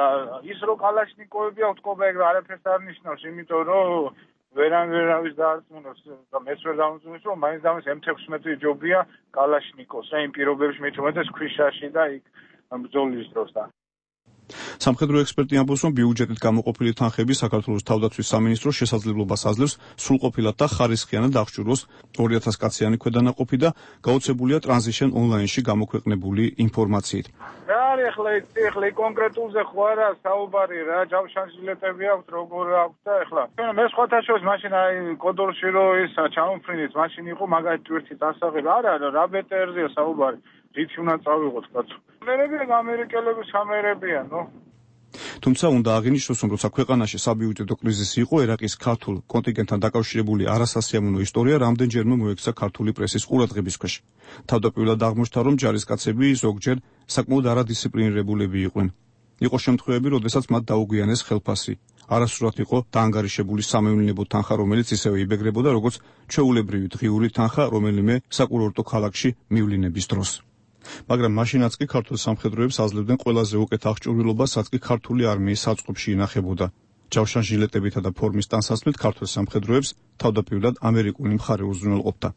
ის რო კალაშნიკოვები აქვთ, ყობა ეგ არაფერს არ ნიშნავს, იმიტომ რომ ვერავის დაარწმუნოს და მეც ვერ დამწუნს, რომ მაინც დამის M16 ჯობია კალაშნიკოვს, რა იმ პირობებში მით უმეტეს ქვიშაში და იქ ბრძოლის დროს და სამხედრო ექსპერტი ამბობს, რომ ბიუჯეტით გამოყოფილი თანხები საქართველოს თავდაცვის სამინისტროს შესაძლებლობას აძლევს სრულყოფილად და ხარისხიანად აღჭურვოს 2000 კაციანი ქვედანაყოფი და გაოცებულია Transition Online-ში გამოქვეყნებული ინფორმაციით. რა არის ახლა კონკრეტულზე ხო არა საუბარი რა, ჯავშანჟილეტები აქვთ, როგორ აქვთ და ახლა მე სხვათა შორის მაშინ აი კოდორში რო ის ჩამოფრინით, მაშინ იყო მაგალითად თვირთი დასაღები, არა რა ბეტერზეა საუბარი. რითი უნდა წავიღოთ კაცო. ამერიკელების სამერებიან, ნო. თუმცა უნდა აღინიშნოს, რომ როცა ქვეყანაში საბიუჯეტო კრიზისი იყო, ერაყის ქართულ კონტინგენტთან დაკავშირებული არასასიამოვნო ისტორია რამდენჯერმე მოექცა ქართული პრესის ყურადღების ქვეშ. თავდაპირველად აღმოჩნდა, რომ ჯარისკაცები ზოგჯერ საკმაოდ არადისციპლინირებულები იყვნენ. იყო შემთხვევები, როდესაც მათ დაუგვიანეს ხელფასი. არასრულად იყო დაანგარიშებული სამევლინებო თანხა, რომელიც ისევე იბეგრებოდა, როგორც ჩვეულებრივი დღიური თანხა რომელიმე საკურორტო ქალაქში მივლინების დროს. მაგრამ მაშინაც კი ქართულ სამხედროებს აძლევდნენ ყველაზე უკეთ აღჭურვილობას, რაც კი ქართული არმიის საწყობში ინახებოდა. ჯავშანჟილეტებითა და ფორმის ტანსაცმლით ქართულ სამხედროებს თავდაპირველად ამერიკული მხარე უზრუნველყოფდა.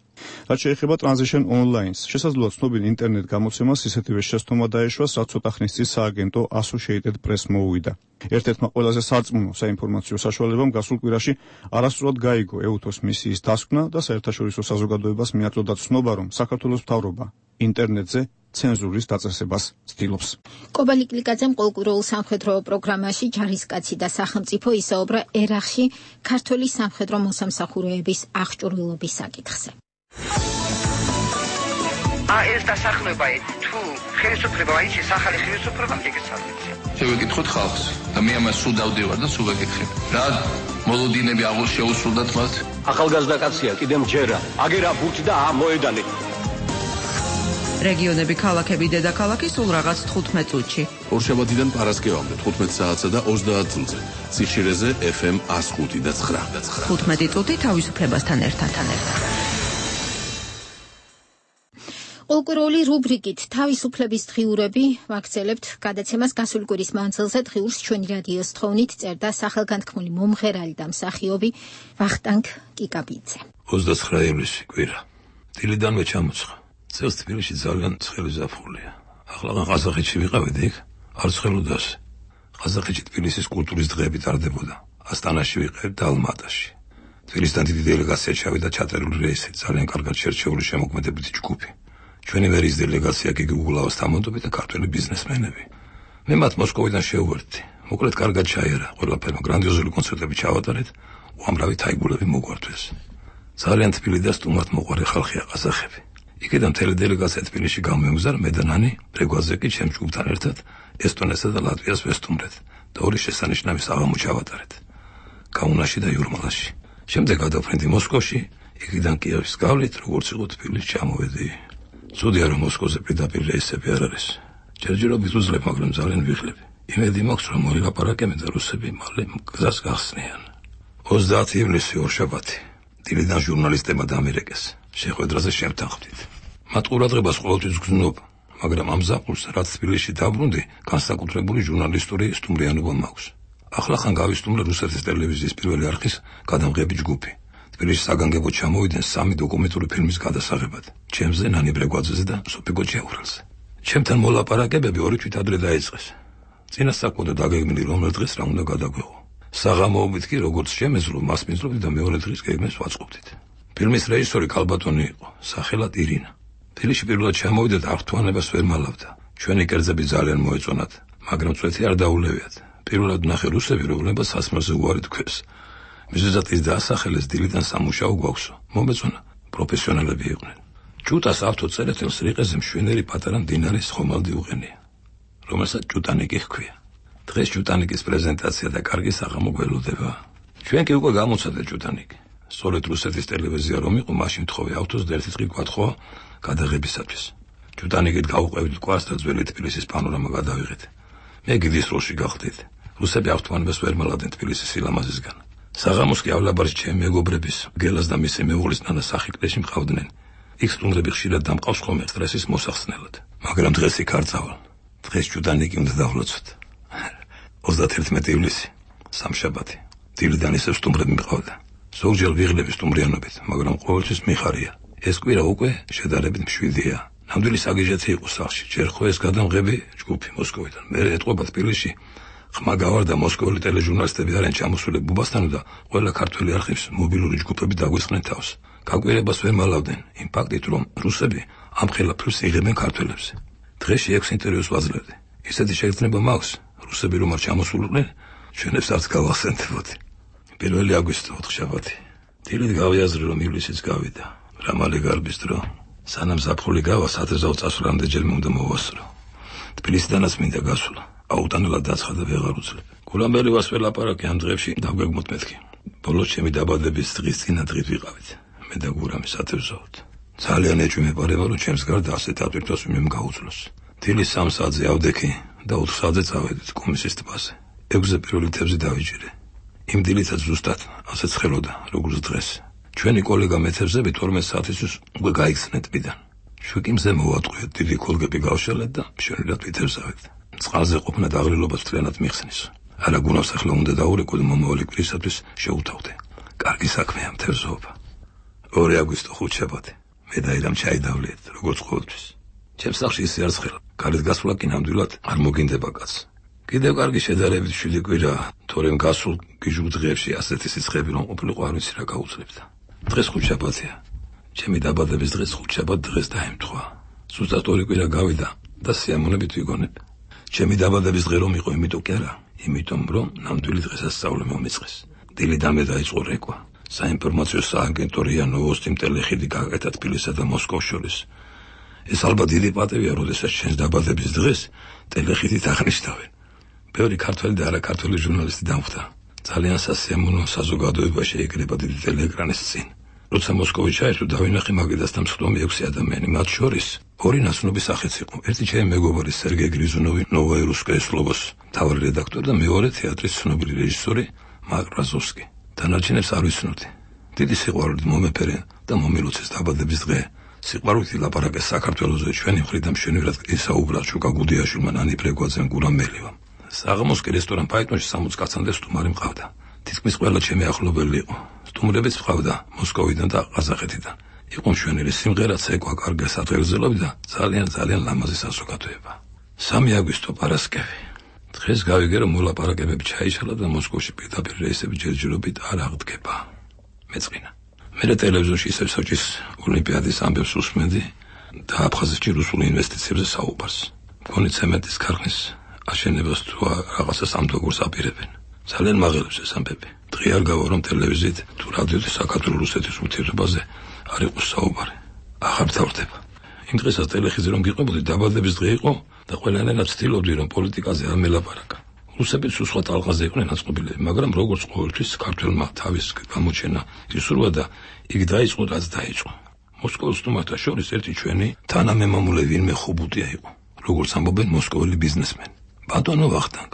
რაც შეეხება Transition Online-ს, შესაძლოა ცნობილ ინტერნეტ გამოცემას ისეთივე შეცდომა დაეშვას, რაც ცოტა ხნის წინ სააგენტო Associated Press მოუვიდა. ერთ-ერთმა ყველაზე სარწმუნო საინფორმაციო საშუალებამ გასულ კვირაში არასწორად გაიგო EUTOS მისიის დასკვნა და საერთაშორისო საზოგადოებას მიაწოდა ცნობა, რომ საქართველოს მთავრობა ინტერნეტზე ცენზურის დაწესებას ცდილობს. კობალი კლიკაძემ ყოველკვირეულ სამხედრო პროგრამაში ჯარისკაცი და სახელმწიფო ისაუბრა ერახში ქართული სამხედრო მოსამსახურეების აღჭურვილობის საკითხზე. ეს დასახლება თუ ხელისუფლება აიჩი სახალი ხელისუფლება მიგეცალმიცი. შევეკითხოთ ხალხს და მე ამას სულ დავდივარ და სულ ვეკითხებ. რა მოლოდინები აღულ შეუსრულდათ მას? ახალგაზრდა კაცია, კიდემ ჯერა. აგერა ბურთი და მოედანი. რეგიონები, ქალაქები, დედაქალაქი სულ რაღაც 15 წუთში. ორშაბათიდან პარასკევამდე 15 საათსა და 30 წუთზე. ციხშირეზე FM 105 და 9. 15 წუთი თავისუფლებასთან ერთად. ყოველკვირეული რუბრიკით თავისუფლების დღიურები ვაქცელებთ გადაცემას გასული კვირის მანძილზე დღიურს ჩვენი რადიოს თხოვნით წერდა სახელგანთქმული მომღერალი და მსახიობი ვახტანგ კიკაბიძე. 29 ივლისი კვირა. დილიდანვე ჩამოცხა. წელს თბილისში ძალიან ცხელი ზაფხულია. ახლა ყაზახეთში ვიყავით იქ, არ ცხელოდას. ყაზახეთში თბილისის კულტურის დღეები ტარდებოდა. ასტანაში ვიყავით და ალმატაში. თბილისიდან დიდი დელეგაცია ჩავიდა ჩაწერილი რეისით, ძალიან კარგად შერჩეული შემოქმედებითი ჯგუფი. ჩვენი ვერის დელეგაცია კი გუგლაოს თამონდობი და ქართველი ბიზნესმენები. მე მათ მოსკოვიდან შევვერდი. მოკლედ კარგად ჩაიარა, ყველაფერმა გრანდიოზული კონცერტები ჩავატარეთ, უამრავი თაიგულები მოგვართვეს. ძალიან თბილი და სტუმართ მოყვარე ხალხია ყაზახები. იქედან მთელი დელეგაცია თბილისში გამომგზავრა მე და ნანი, რეგვაზე კი ჩემ ჯგუფთან ერთად ესტონეთსა და ლატვიას ვესტუმრეთ. და ორი შესანიშნავი საღამო ჩავატარეთ. გაუნაში და იურმალაში. შემდეგ გადავფრინდი მოსკოვში, იქიდან კიევის გავლით, როგორც იყო თბილისში ჩამოვედი. ცუდია რომ მოსკოვზე პირდაპირ რეისები არ არის. ჯერჯერობით უძლებ, მაგრამ ძალიან ვიხლები. იმედი მაქვს რომ მოილაპარაკებენ და რუსები მალე გზას გახსნიან. 30 ივლისი ორშაბათი. დილიდან ჟურნალისტებმა დამირეკეს. შეხვედრაზე შემთანხმდით. მათ ყურადღებას ყოველთვის გრძნობ, მაგრამ ამ ზაფხულს რაც თბილისში დაბრუნდი, განსაკუთრებული ჟურნალისტური სტუმრიანობა მაქვს. ახლახან გავისტუმრე რუსეთის ტელევიზიის პირველი არხის გადამღები ჯგუფი. თბილისში საგანგებოდ ჩამოვიდნენ 3 დოკუმენტური ფილმის გადასაღებად. ჩემზე, ნანი ბრეგვაძეზე და სოფიკო ჭიაურელზე. ჩემთან მოლაპარაკებები 2 თვით ადრე დაიწყეს. წინასწარ დაგეგმილი რომელ დღეს რა უნდა გადაგვეღო. საღამოობით კი როგორც შემეძლო, მას მიზრობდი და მეორე დღის გეგმებს ვაწყობდით. ფილმის რეჟისორი კალბატონი იყო, სახელად ირინა. თბილისში პირველად ჩამოვიდა და აღთვალებას ვერ მალავდა. ჩვენი კერძები ძალიან მოეწონათ, მაგრამ წვეთი არ დაულევიათ. პირველად ნახე რუსები, რომლებსაც სასმელზე უარი თქვეს. მიზეზად ის დაასახელეს დილიდან სამუშაო გვაქვსო. მომეწონა, პროფესიონალები იყვნენ. ჭუტას ავტოწერეთელს რიყეზე მშვენიერი პატარა მდინარის ხომალდი უღენია, რომელსაც ჭუტანიკი ჰქვია. დღეს ჭუტანიკის პრეზენტაცია და კარგი საღამო გველოდება. ჩვენ კი უკვე გამოცადა ჭუტანიკი. სწორედ რუსეთის ტელევიზია რომ იყო, მაშინ თხოვე ავტოს და ერთი წრი გვათხოვა გადაღებისათვის. ჭუტანიკით გავუყვებით კვას და ძველი თბილისის პანორამა გადავიღეთ. მე გიდის როლში გავხდით. რუსები ავთვალებას ვერ მალავდნენ თბილისის სილამაზისგან. საღამოს კი ავლაბარში ჩემი მეგობრების, გელას და მისი მეუღლის ნანა სახიკლეში მყავდნენ. იქ სტუმრები ხშირად დამყავს ხოლმე სტრესის მოსახსნელად. მაგრამ დღეს იქ არ წავალ. დღეს ჭუტანიკი უნდა დავლოცოთ. 31 ივლისი, სამშაბათი. დილიდან ისევ სტუმრები მყავდა. ზოგჯერ ვიღლები სტუმრიანობით, მაგრამ ყოველთვის მიხარია. ეს კვირა უკვე შედარებით მშვიდია. ნამდვილი საგიჟეთი იყო სახლში. ჯერ ხო ეს გადამღები ჯგუფი მოსკოვიდან. მე ეტყობა თბილისში. ხმა გავარდა მოსკოველი ტელეჟურნალისტები არიან ჩამოსული ბუბასთან და ყველა ქართველი არხის მობილური ჯგუფები დაგვისხნენ თავს. გაკვირებას ვერ მალავდნენ იმ ფაქტით, რომ რუსები ამ ხელაფლს იღებენ ქართველებზე. დღეში 6 ინტერვიუს ვაძლევდი. ისეთი შეგრძნება მაქვს, რუსები რომ არ ჩამოსულიყვნენ, ჩვენებს არც გავახსენდებოდი. 1 აგვისტო 4 შაბათი. დილით გავიაზრე რომ ივლისიც გავიდა. რა მალე გარბის დრო. სანამ ზაფხული გავა, სათეზაო წასვლამდე ჯერ უნდა მოვასწრო. თბილისიდანაც მინდა გასვლა. აუტანელად დაცხადა ვეღარ უძლებ. გულამბერი ვასველაპარაკე ამ დღეებში დავგეგმოთ მეთქი. ბოლოს ჩემი დაბადების დღის წინა დღით ვიყავით. მე და გურამი სათევზაოდ. ძალიან ეჭვმეპარება რომ ჩემს გარდა ასეთ ატვირთვას ვინმე გაუძლოს. დილის 3 საათზე ავდექი და 4 საათზე წავედით კომისიის ტბაზე. 6-ზე პირველი თევზი დავიჯერე. იმ დილითაც ზუსტად ასეც ხელოდა როგორც დღეს. ჩვენი კოლეგა მეთევზები 12 საათისთვის უკვე გაიქცნენ ტბიდან. შვიკიმზე მოვატყვიეთ, დიდი ქოლგები გავშალეთ და მშვენივრად ვითევზავეთ. წყალზე ყოფნა დაღლილობას მთლიანად მიხსნის. არა გუნავს ახლა უნდა დაურეკო და მომავალი კვირისათვის შეუთავდე. კარგი საქმეა მთევზაობა. 2 აგვისტო 5 შაბათი. მე და ირამ ჩაიდავლეთ, როგორც ყოველთვის. ჩემს სახლში ისე არ ცხელა. გარეთ გასვლა კი ნამდვილად არ მოგინდება კაცს. კიდევ კარგი შედარებით 7 კვირა, თორემ გასულ გიჟულ დღეებში ასეთი სიცხეები რომ ყოფილიყო არ ვიცი რა გაუძლებდა. დღეს 5 შაბათია. ჩემი დაბადების დღეს 5 შაბათ დღეს დაემთხვა. ზუსტად 2 კვირა გავიდა და სიამოვნებით ვიგონებ. ჩემი დაბადების დღე რომ იყო, იმიტომ კი არა, იმიტომ რომ ნამდვილი დღესასწაული მომიწყეს. დილიდან მე დაიწყო რეკვა. საინფორმაციო სააგენტო რია ნოვოსტიმ ტელეხიდი გაკეთა თბილისსა და მოსკოვს შორის. ეს ალბათ დიდი პატივია, როდესაც ჩვენს დაბადების დღეს ტელეხიდით აღნიშნავენ. ბევრი ქართველი და არაქართველი ჟურნალისტი დამხვდა. ძალიან სასიამოვნო საზოგადოება შეიკრება დიდი ტელეეკრანის წინ. როცა მოსკოვი ჩაერთო, დავინახე მაგიდასთან მსხდომი 6 ადამიანი, მათ შორის 2 ნაცნობი სახეც იყო. ერთი ჩემი მეგობარი სერგეი გრიზუნოვი, ნოვაი რუსკაია სლოვოს მთავარი რედაქტორი და მეორე თეატრის ცნობილი რეჟისორი მარკ რაზოვსკი. დანარჩენებს არ ვიცნობდი. დიდი სიყვარულით მომეფერე და მომილოცეს დაბადების დღე. სიყვარულით ლაპარაკეს საქართველოზე, ჩვენი მხრიდან მშვენივრად ისაუბრა შუკა გუდიაშვილმა, ნანი ბრეგვაძემ, გურამ მელივამ. საღამოს კი რესტორან ფაიტონში 60 კაცამდე სტუმარი მყავდა. თითქმის ყველა ჩემი ახლობელი იყო. სტუმრებიც მყავდა მოსკოვიდან და ყაზახეთიდან. იყო მშვენიერი სიმღერა, ცეკვა, კარგი სათვალიერებლები და ძალიან ლამაზი საზოგადოება. 3 აგვისტო პარასკევი. დღეს გავიგე რომ მოლაპარაკებები ჩაიშალა და მოსკოვში პირდაპირ რეისები ჯერჯერობით არ აღდგება. მეწყინა. მე ტელევიზორში ისევ სოჭის ოლიმპიადის ამბებს უსმენდი და აფხაზეთში რუსულ ინვესტიციებზე საუბარს. მგონი ცემენტის ქარხნის აშენებას თუ რაღაცას ამდაგურს აპირებენ. ძალიან მაღელებს ეს ამბები. დღე არ გავა რომ ტელევიზიით თუ რადიოთი საქართველოს-რუსეთის ურთიერთობაზე არ იყოს საუბარი. აღარ თავდება. იმ დღესაც ტელეხიზე რომ გიყვებოდი, დაბადების დღე იყო და ყველანაირად ცდილობდი რომ პოლიტიკაზე არ მელაპარაკა. რუსებიც სხვა ტალღაზე იყვნენ აწყობილები, მაგრამ როგორც ყოველთვის ქართველმა თავის გამოჩენა ისურვა და იქ დაიწყო რაც დაიწყო. მოსკოვის სტუმართა შორის ერთი ჩვენი თანამემამულე ვინმე ხუბუტია იყო, როგორც ამბობენ მოსკოველი ბიზნესმენი. ბატონო ვახტანგ,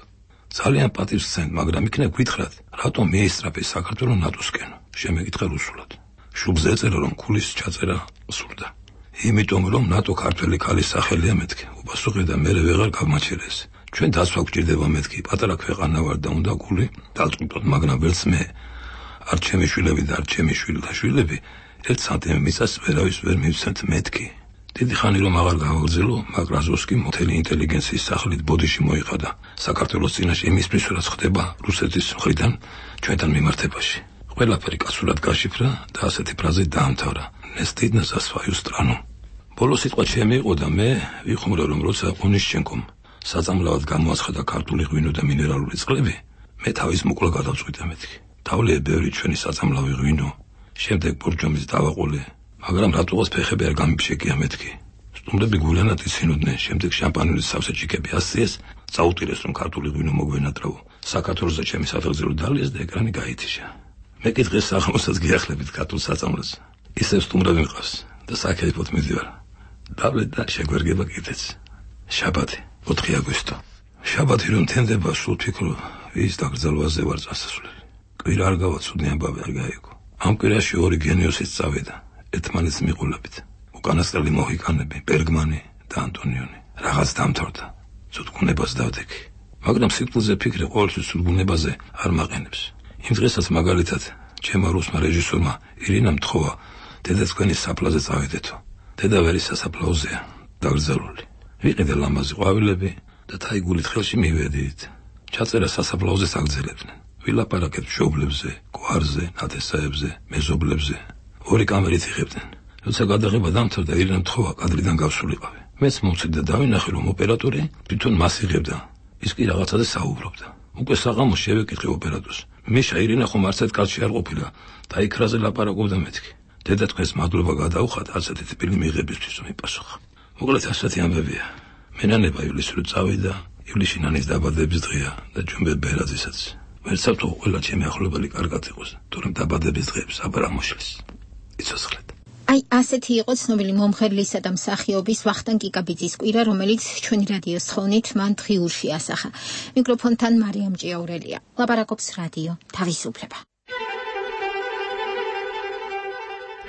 ძალიან პატივს გცემთ, მაგრამ იქნებ გითხრათ, რატომ მიესწრაფე საქართველოს ნატოსკენ? შემეკითხა რუსულად. შუბლზე ეწერა, რომ ქულის ჩაწერა სურდა. იმიტომ რომ ნატო ქართველი ქალის სახელია მეთქე. უპასუხე და მე ვეღარ გავმაჩერეს. ჩვენ დაცვა გვჭირდება მეთქი, პატარა ქვეყანა ვარ და უნდა ქული დავწყვიტოთ, მაგრამ ვერც მე, არ ჩემი შვილები და არ ჩემი შვილთა შვილები, 1 სანტიმ მიწას ვერავის ვერ მივცემთ მეთქი. დიდი ხანი რომ აღარ გავაგზელო, მაგრაზოვსკი მთელი ინტელიგენციის სახლით ბოდიში მოიყადა საქართველოს წინაშე იმისთვის, რაც ხდება რუსეთის მხრიდან ჩვენთან მიმართებაში. ყველაფერი კაცურად გაშიფრა და ასეთი ფრაზით დაამთავრა: ნესტიდნა за свою страну. ბოლო სიტყვა ჩემი იყო და მე ვიხმურა, რომ როცა ონიშჩენკომ საწამლავად გამოაცხადა ქართული ღვინო და მინერალური წყლები, მე თავის მოკლა გადავწყვიტე მეთქი. თავლეე ბევრი ჩვენი საწამლავი ღვინო, შემდეგ ბორჯომის დავაყოლე, მაგრამ რატოღაც ფეხები არ გამიფშეკია მეთქი. სტუმრები გულანად იცინოდნენ, შემდეგ შამპანილის სავსე ჩიქები ასწიეს, წაუტირეს რომ ქართული ღვინო მოგვენატრაო. საქართველოსა ჩემი საფეხზელო დალიეს და ეკრანი გაითიშა. მე კი დღეს საღამოსაც გიახლებით ქართულ საწამლას. ისევ სტუმრები მყავს და საკეიფოდ მიდივარ. დავლეთ და შეგვერგება კიდეც. შაბათი 4 აგვისტო. შაბათი რომ თენდება, სულ ფიქრო, ვის დაკრძალვაზე ვარ წასასვლელი. კვირა არ გავა, ცუდი ამბავი არ გაიგო. ამ კვირაში 2 გენიოსიც წავიდა, ერთმანეთს მიყოლებით. უკანასკნელი მოჰიკანები, ბერგმანი და ანტონიონი. რაღაც დამთავრდა. ცუდგუნებას დავდექი. მაგრამ სიკვდილზე ფიქრი ყოველთვის ცუდგუნებაზე არ მაყენებს. იმ დღესაც მაგალითად, ჩემმა რუსმა რეჟისორმა ირინამ თხოვა, დედაცქვენის საფლაზე წავიდეთო. დედა ვერის სასაფლაოზეა, დაკრძალული. ვიყიდე ლამაზი ყვავილები და თაიგულით ხელში მივედით. ჩაწერა სასაფლაოზეს აგძელებდნენ. ვილაპარაკეთ მშობლებზე, გვარზე, ნათესაებზე, მეზობლებზე. 2 კამერით იღებდნენ. როცა გადაღება დამთავრდა, ირინამ თხოვა კადრიდან გავსულიყავი. მეც მოვცით და დავინახე, რომ ოპერატორი თვითონ მას იღებდა. ის კი რაღაცაზე საუბრობდა. უკვე საღამოს შევეკითხე ოპერატორს: მიშა, ირინა ხომ არცეთ კაცი არ ყოფილა და იქრაზე ლაპარაკობდა მეთქი. დედა თქვენს მადლობა გადაუხათ ასეთი ტიპილი მიღებისთვის, მიპასუხა. მოკლედ ასეთი ამბებია. მენანება ივლისური წავიდა, ივლისში ნანის დაბადების დღეა და ჯუმბე ბერაძისაც. ვერცერთო ყველა ჩემი ახლობელი კარგად იყოს, თორემ დაბადების დღეებს აბარ ამოშლის. იცოცხლეთ. აი, ასეთი იყო ცნობილი მომღერლისა და მსახიობის ვახტანგ კიკაბიძის კვირა, რომელიც ჩვენი რადიოს თხოვნით მან დღიურში ასახა. მიკროფონთან მარიამ ჭიაურელია. ლაპარაკობს რადიო თავისუფლება.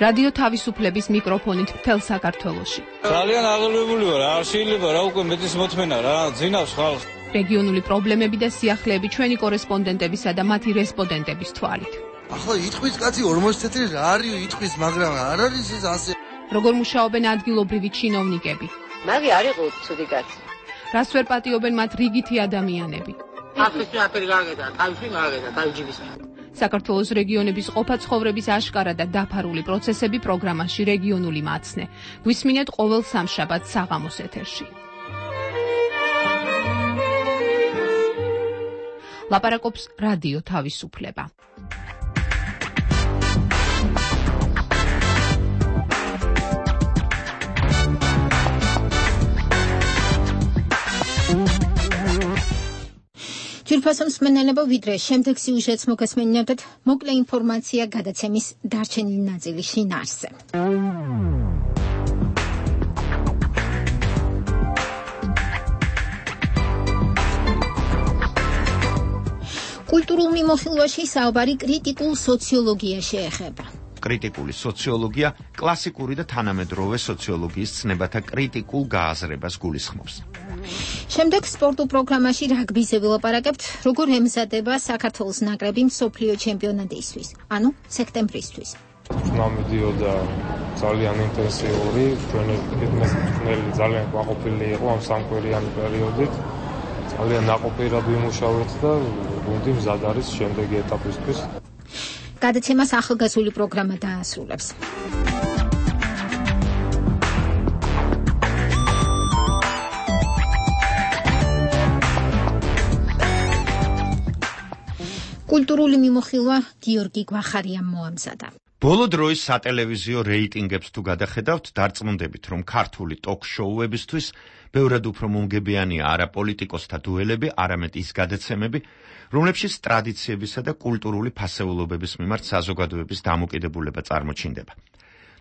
რადიო თავისუფლების მიკროფონით მთელ საქართველოში. ძალიან აღელვებული ვარ, არ შეიძლება რა უკვე მეტის მოთმენა რა, ძინავს ხალხს. რეგიონული პრობლემები და სიახლეები ჩვენი კორესპონდენტებისა და მათი რესპონდენტების თვალით. ახლა იტყვის კაცი 40 წელი რა არის იტყვის, მაგრამ არ არის ეს ასე. როგორ მუშაობენ ადგილობრივი ჩინოვნიკები? მაგი არ იყო ცუდი კაცი. რას ვერ პატიობენ მათ რიგითი ადამიანები? ახლა აფერი გაგედა, თავში გაგედა, თავჯიბის. საქართველოს რეგიონების ყოფა ცხოვრების აშკარა და დაფარული პროცესები პროგრამაში რეგიონული მაცნე. გვისმინეთ ყოველ სამშაბათს საღამოს ეთერში. ლაპარაკობს რადიო თავისუფლება. ჯირფასო მსმენელებო, ვიდრე შემდეგ სიუჟეტს მოგესმენინებთ, მოკლე ინფორმაცია გადაცემის დარჩენილი ნაწილის შინაარსზე. კულტურულ მიმოხილვაში საუბარი კრიტიკულ სოციოლოგიაში ეხება. კრიტიკული სოციოლოგია კლასიკური და თანამედროვე სოციოლოგიის ცნებათა კრიტიკულ გააზრებას გულისხმობს. შემდეგ სპორტულ პროგრამაში რაგბიზე ვილაპარაკებთ, როგორ ემზადება საქართველოს ნაკრები მსოფლიო ჩემპიონატისთვის, ანუ სექტემბრისთვის. ხმა მიდიოდა ძალიან ინტენსიური, ჩვენი მწვრთნელი ძალიან კმაყოფილი იყო ამ სამკვირიანი პერიოდით. ძალიან ნაყოფიერად ვიმუშავეთ და გუნდი მზად არის შემდეგი ეტაპისთვის. გადაცემას ახალგაზრდული პროგრამა დაასრულებს. კულტურული მიმოხილვა გიორგი გვახარიამ მოამზადა. ბოლო დროის სატელევიზიო რეიტინგებს თუ გადახედავთ, დარწმუნდებით, რომ ქართული ტოკ-შოუებისთვის ბევრად უფრო მომგებიანია არა პოლიტიკოსთა დუელები, არამედ ის გადაცემები, რომლებშიც ტრადიციებისა და კულტურული ფასეულობების მიმართ საზოგადოების დამოკიდებულება წარმოჩინდება.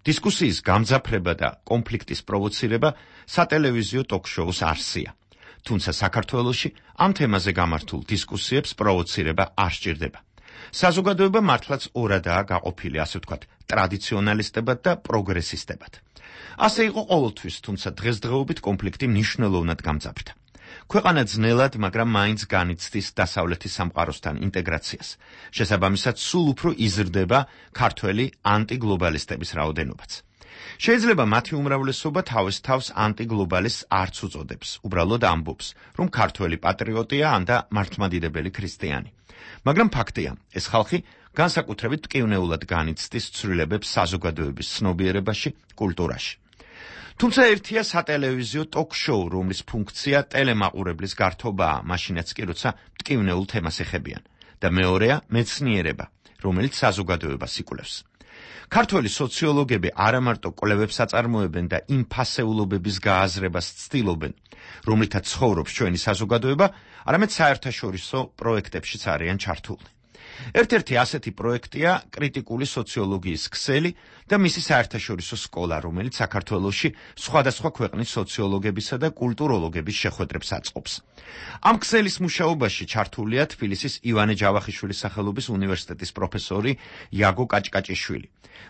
დისკუსიის გამძაფრება და კონფლიქტის პროვოცირება სატელევიზიო ტოკ-შოუს არსია. თუმცა საქართველოში ამ თემაზე გამართულ დისკუსიებს პროვოცირება არ სჭირდება. საზოგადოება მართლაც ორადაა გაყოფილი, ასე ვთქვათ, ტრადიციონალისტებად და პროგრესისტებად. ასე იყო ყოველთვის, თუმცა დღესდღეობით კონფლიქტი მნიშვნელოვნად გამძაფრდა. ქვეყანა ძნელად, მაგრამ მაინც განიცდის დასავლეთის სამყაროსთან ინტეგრაციას. შესაბამისად, სულ უფრო იზრდება ქართველი ანტიგლობალისტების რაოდენობაც. შეიძლება მათი უმრავლესობა თავის თავს ანტიგლობალისტს არც უწოდებს, უბრალოდ ამბობს, რომ ქართველი პატრიოტია ან და მართლმადიდებელი ქრისტიანი. მაგრამ ფაქტია, ეს ხალხი განსაკუთრებით მტკივნეულად განიცდის ცვლილებებს საზოგადოების ცნობიერებაში, კულტურაში. თუმცა ერთია სატელევიზიო ტოკ-შოუ, რომლის ფუნქცია ტელემაყურებლის გართობაა, მაშინაც კი როცა მტკივნეულ თემას ეხებიან, და მეორეა მეცნიერება, რომელიც საზოგადოებას იკვლევს. ქართველი სოციოლოგები არამარტო კვლევებს აწარმოებენ და იმ ფასეულობების გააზრებას ცდილობენ, რომლითაც ცხოვრობს ჩვენი საზოგადოება, არამედ საერთაშორისო პროექტებშიც არიან ჩართულნი. ერთ-ერთი ასეთი პროექტია კრიტიკული სოციოლოგიის ქსელი და მისი საერთაშორისო სკოლა, რომელიც საქართველოში სხვადასხვა ქვეყნის სოციოლოგებისა და კულტუროლოგების შეხვედრებს აწყობს. ამ ქსელის მუშაობაში ჩართულია თბილისის ივანე ჯავახიშვილის სახელობის უნივერსიტეტის პროფესორი იაგო კაჭკაჭიშვილი,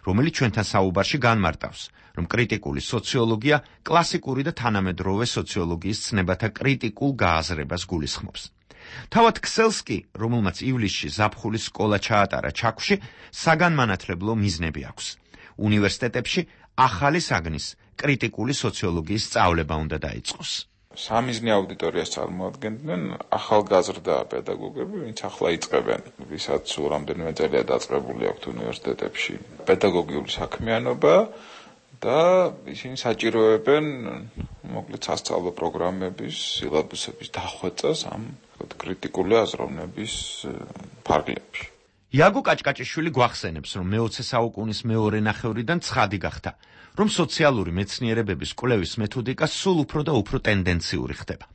რომელიც ჩვენთან საუბარში განმარტავს, რომ კრიტიკული სოციოლოგია კლასიკური და თანამედროვე სოციოლოგიის ცნებათა კრიტიკულ გააზრებას გულისხმობს. თავად ქსელს კი, რომელმაც ივლისში ზაფხულის სკოლა ჩაატარა ჩაქვში, საგანმანათლებლო მიზნები აქვს. უნივერსიტეტებში ახალი საგნის კრიტიკული სოციოლოგიის სწავლება უნდა დაიწყოს. სამიზნე აუდიტორიას წარმოადგენდნენ ახალგაზრდა პედაგოგები, ვინც ახლა იწყებენ, ვისაც სულ რამდენიმე წელია დაწყებული აქვთ უნივერსიტეტებში პედაგოგიური საქმიანობა და ისინი საჭიროებენ მოკლედ სასწავლო პროგრამების, სილაბუსების დახვეწას ამ კრიტიკული აზროვნების ფარგლებში. იაგო კაჭკაჭიშვილი გვახსენებს, რომ მე-20 საუკუნის მეორე ნახევრიდან ცხადი გახდა, რომ სოციალური მეცნიერებების კვლევის მეთოდიკა სულ უფრო და უფრო ტენდენციური ხდება.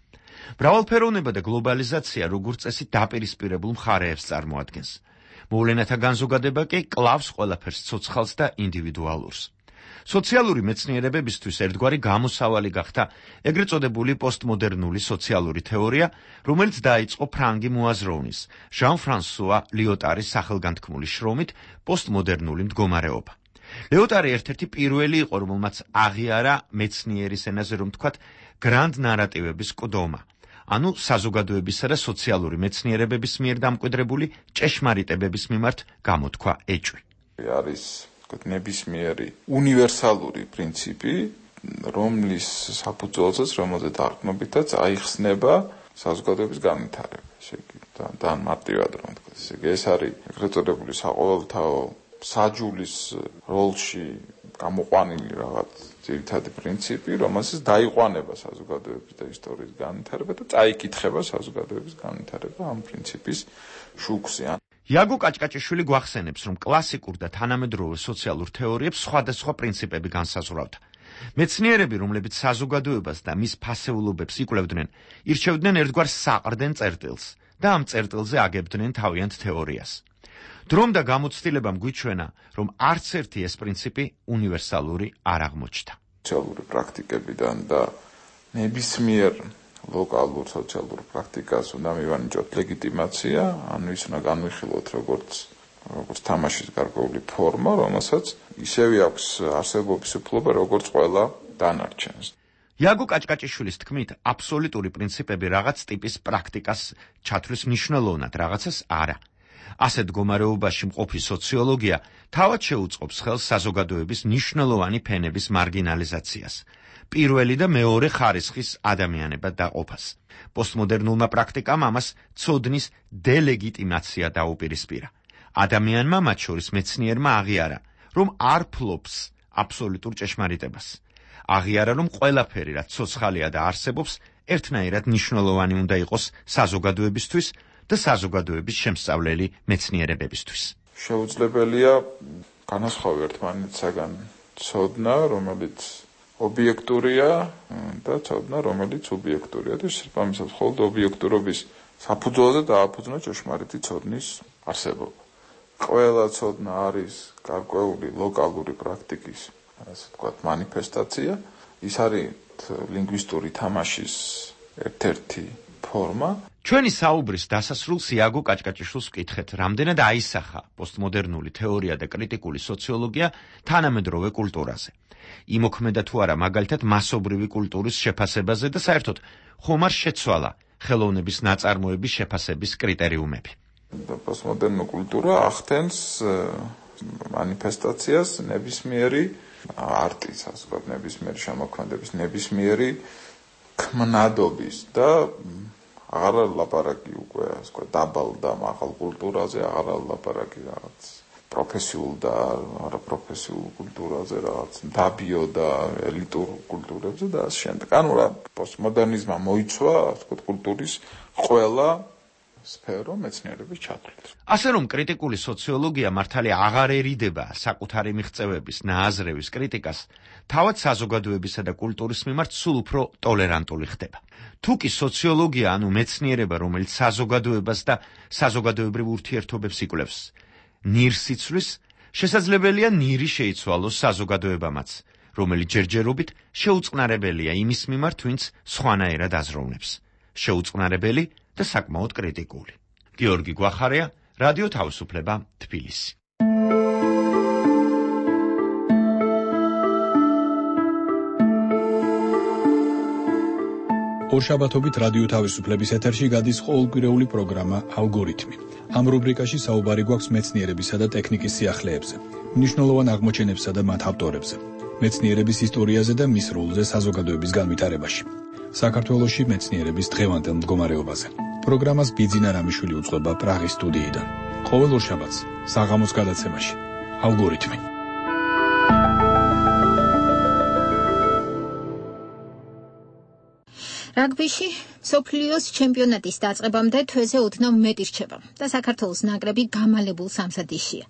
მრავალფეროვნება და გლობალიზაცია როგორც წესი დაპირისპირებულ მხარეებს წარმოადგენს. მოვლენათა განზოგადება კი კლავს ყველაფერს ცოცხალს და ინდივიდუალურს. სოციალური მეცნიერებებისთვის ერთგვარი გამოსავალი გახდა ეგრეთ წოდებული პოსტმოდერნული სოციალური თეორია, რომელიც დაიწყო ფრანგი მოაზროვნის, ჟან-ფრანსუა ლიოტარის სახელგანთქმული შრომით პოსტმოდერნული მდგომარეობა. ლიოტარი ერთ-ერთი პირველი იყო, რომელმაც აღიარა მეცნიერის ენაზე, რომ თქვათ, გრანდ ნარატივების კდომა, ანუ საზოგადოებისა და სოციალური მეცნიერებების მიერ დამკვიდრებული ჭეშმარიტებების მიმართ გამოთქვა ეჭვი. არის ნებისმიერი უნივერსალური პრინციპი, რომლის საფუძველზეც, რომელზე დაყრდნობითაც აიხსნება საზოგადოების განვითარება. და მარტივად რომ ვთქვათ, ეს არის ეგრეთ წოდებული საყოველთაო საჯულის როლში გამოყვანილი რაღაც ძირითადი პრინციპი, რომელსაც დაიყვანება საზოგადოების და ისტორიის განვითარება და წაიკითხება საზოგადოების განვითარება ამ პრინციპის შუქზე. იაგო კაჭკაჭიშვილი გვახსენებს, რომ კლასიკურ და თანამედროვე სოციალურ თეორიებს სხვადასხვა პრინციპები განსაზღვრავდა. მეცნიერები, რომლებიც საზოგადოებას და მის ფასეულობებს იკვლევდნენ, ირჩევდნენ ერთგვარ საყრდენ წერტილს და ამ წერტილზე აგებდნენ თავიანთ თეორიას. დრომ და გამოცდილებამ გვიჩვენა, რომ არც ერთი ეს პრინციპი უნივერსალური არ აღმოჩნდა. სოციალური პრაქტიკებიდან და ნებისმიერ ლოკალურ სოციალურ პრაქტიკას უნდა მივანიჭოთ ლეგიტიმაცია, ანუ ის უნდა განვიხილოთ როგორც თამაშის გარკვეული ფორმა, რომელსაც ისევე აქვს არსებობის უფლება, როგორც ყველა დანარჩენს. იაგო კაჭკაჭიშვილის თქმით, აბსოლუტური პრინციპები რაღაც ტიპის პრაქტიკას ჩათვლის მნიშვნელოვნად, რაღაცას არა. ასეთ მდგომარეობაში მყოფი სოციოლოგია თავად შეუწყობს ხელს საზოგადოების მნიშვნელოვანი ფენების მარგინალიზაციას. პირველი და მეორე ხარისხის ადამიანებად დაყოფას. პოსტმოდერნულმა პრაქტიკამ ამას ცოდნის დელეგიტიმაცია დაუპირისპირა. ადამიანმა, მათ შორის მეცნიერმა აღიარა, რომ არ ფლობს აბსოლუტურ ჭეშმარიტებას. აღიარა, რომ ყველაფერი, რაც ცოცხალია და არსებობს, ერთნაირად მნიშვნელოვანი უნდა იყოს საზოგადოებისთვის და საზოგადოების შემსწავლელი მეცნიერებებისთვის. შეუძლებელია განასხვავი ერთმანეთსაგან ცოდნა, რომელიც ობიექტურია და ცოდნა, რომელიც სუბიექტურია და შესაბამისად მხოლოდ ობიექტურობის საფუძველზე დააფუძნა ჭეშმარიტი ცოდნის არსებობა. ყველა ცოდნა არის გარკვეული ლოკალური პრაქტიკის, ასე ვთქვათ, მანიფესტაცია. ის არის ლინგვისტური თამაშის ერთ-ერთი ფორმა. ჩვენი საუბრის დასასრულს იაგო კაჭკაჭიშვილს ვკითხეთ, რამდენად აისახა პოსტმოდერნული თეორია და კრიტიკული სოციოლოგია თანამედროვე კულტურაზე. იმოქმედა თუ არა მაგალითად მასობრივი კულტურის შეფასებაზე და საერთოდ ხომ არ შეცვალა ხელოვნების ნაწარმოების შეფასების კრიტერიუმები. პოსტმოდერნული კულტურა ახდენს მანიფესტაციას ნებისმიერი არტის, ასე ვთქვათ, ნებისმიერი შემოქმედების, ნებისმიერი ქმნადობის და აღარ ლაპარაკი უკვე, ასე ვთქვათ, დაბალ და მაღალ კულტურაზე, აღარ ლაპარაკი რაღაც პროფესიულ და არაპროფესიულ კულტურაზე, რაღაც დაბიო და ელიტურ კულტურებზე და ასე შემდეგ. ანუ რა პოსტმოდერნიზმმა მოიცვა, ასე ვთქვათ, კულტურის ყველა სფერო მეცნიერების ჩათვლით. ასე რომ კრიტიკული სოციოლოგია მართალი აღარ ერიდება საკუთარი მიღწევების ნააზრევის კრიტიკას, თავად საზოგადოებისა და კულტურის მიმართ სულ უფრო ტოლერანტული ხდება. თუ კი სოციოლოგია, ანუ მეცნიერება, რომელიც საზოგადოებას და საზოგადოებრივ ურთიერთობებს იკვლევს, ნირს იცვლის, შესაძლებელია ნირი შეიცვალოს საზოგადოებამაც, რომელიც ჯერჯერობით შეუწყნარებელია იმის მიმართ, ვინც სხვანაირად აზროვნებს. შეუწყნარებელი და საკმაოდ კრიტიკული. გიორგი გვახარია, რადიო თავისუფლება, თბილისი. ორშაბათობით რადიო თავისუფლების ეთერში გადის ყოველკვირეული პროგრამა ალგორითმი. ამ რუბრიკაში საუბარი გვაქვს მეცნიერებისა და ტექნიკის სიახლეებზე, მნიშვნელოვან აღმოჩენებსა და მათ ავტორებზე, მეცნიერების ისტორიაზე და მის როლზე საზოგადოების განვითარებაში. საქართველოში მეცნიერების დღევანდელ მდგომარეობაზე. პროგრამას ბიძინა რამიშვილი უწყება პრაღის სტუდიიდან. ყოველ ორშაბათს საღამოს გადაცემაში ალგორითმი. რაგბიში მსოფლიოს ჩემპიონატის დაწყებამდე თვეზე ოდნავ მეტი რჩება და საქართველოს ნაკრები გამალებულ სამზადისშია.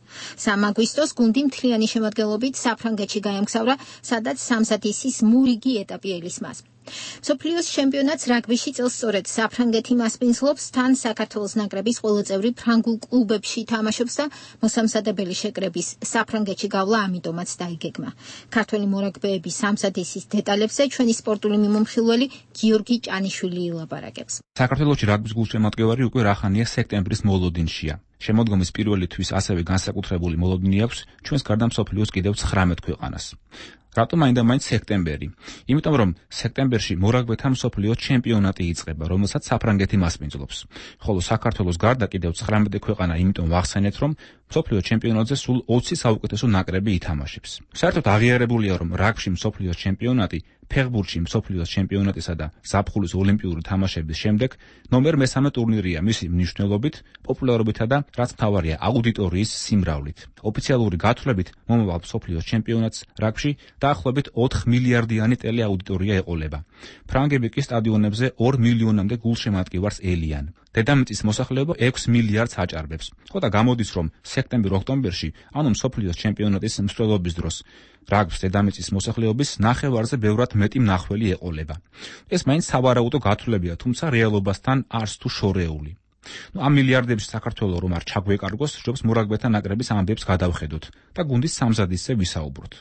3 აგვისტოს გუნდი მთლიანი შემადგენლობით საფრანგეთში გაემგზავრა, სადაც სამზადისის მორიგი ეტაპი ელისმას. მსოფლიოს ჩემპიონატს რაგბიში წელს სწორედ საფრანგეთი მასპინძლობს, თან საქართველოს ნაკრების ყველა წევრი ფრანგულ კლუბებში თამაშობს და მოსამზადებელი შეკრების საფრანგეთში გავლა ამიტომაც დაიგეგმა. ქართველი მორაგბეების სამზადისის დეტალებზე ჩვენი სპორტული მიმომხილველი გიორგი ჭანიშვილი ილაპარაკებს. საქართველოში რაგბის გულშემატკივარი უკვე რახანია სექტემბრის მოლოდინშია. შემოდგომის პირველი თვის ასევე განსაკუთრებული მოლოდინი აქვს ჩვენს გარდა მსოფლიოს კიდევ 19 ქვეყანას. რატომ მაინდა-მაინც სექტემბერი? იმიტომ რომ სექტემბერში მორაგბეთა მსოფლიოს ჩემპიონატი იწყება, რომელსაც საფრანგეთი მასპინძლობს. ხოლო საქართველოს გარდა კიდევ 19 ქვეყანა იმიტომ ვახსენეთ, რომ მსოფლიოს ჩემპიონატზე სულ 20 საუკეთესო ნაკრები ითამაშებს. საერთოდ აღიარებულია, რომ რაგბში მსოფლიოს ჩემპიონატი ფეხბურთში მსოფლიოს ჩემპიონატისა და ზაფხულის ოლიმპიური თამაშების შემდეგ ნომერ მესამე ტურნირია მისი მნიშვნელობით, პოპულარობითა და რაც მთავარია აუდიტორიის სიმრავლით. ოფიციალური გათვლებით მომავალ მსოფლიოს ჩემპიონატს რაგბში დაახლოებით 4 მილიარდიანი ტელეაუდიტორია ეყოლება. ფრანგები კი სტადიონებზე 2 მილიონამდე გულშემატკივარს ელიან. დედამიწის მოსახლეობა 6 მილიარდს აჭარბებს. ხოდა გამოდის, რომ სექტემბერ-ოქტომბერში, ანუ მსოფლიოს ჩემპიონატის მსვლელობის დროს, რაგბს დედამიწის მოსახლეობის ნახევარზე ბევრად მეტი მნახველი ეყოლება. ეს მაინც სავარაუდო გათვლებია, თუმცა რეალობასთან არც თუ შორეული. ამ მილიარდებში საქართველოს რომ არ ჩაგვეკარგოს, სჯობს მორაგბეთა ნაკრების ამბებს გადავხედოთ და გუნდის სამზადისზე ვისაუბროთ.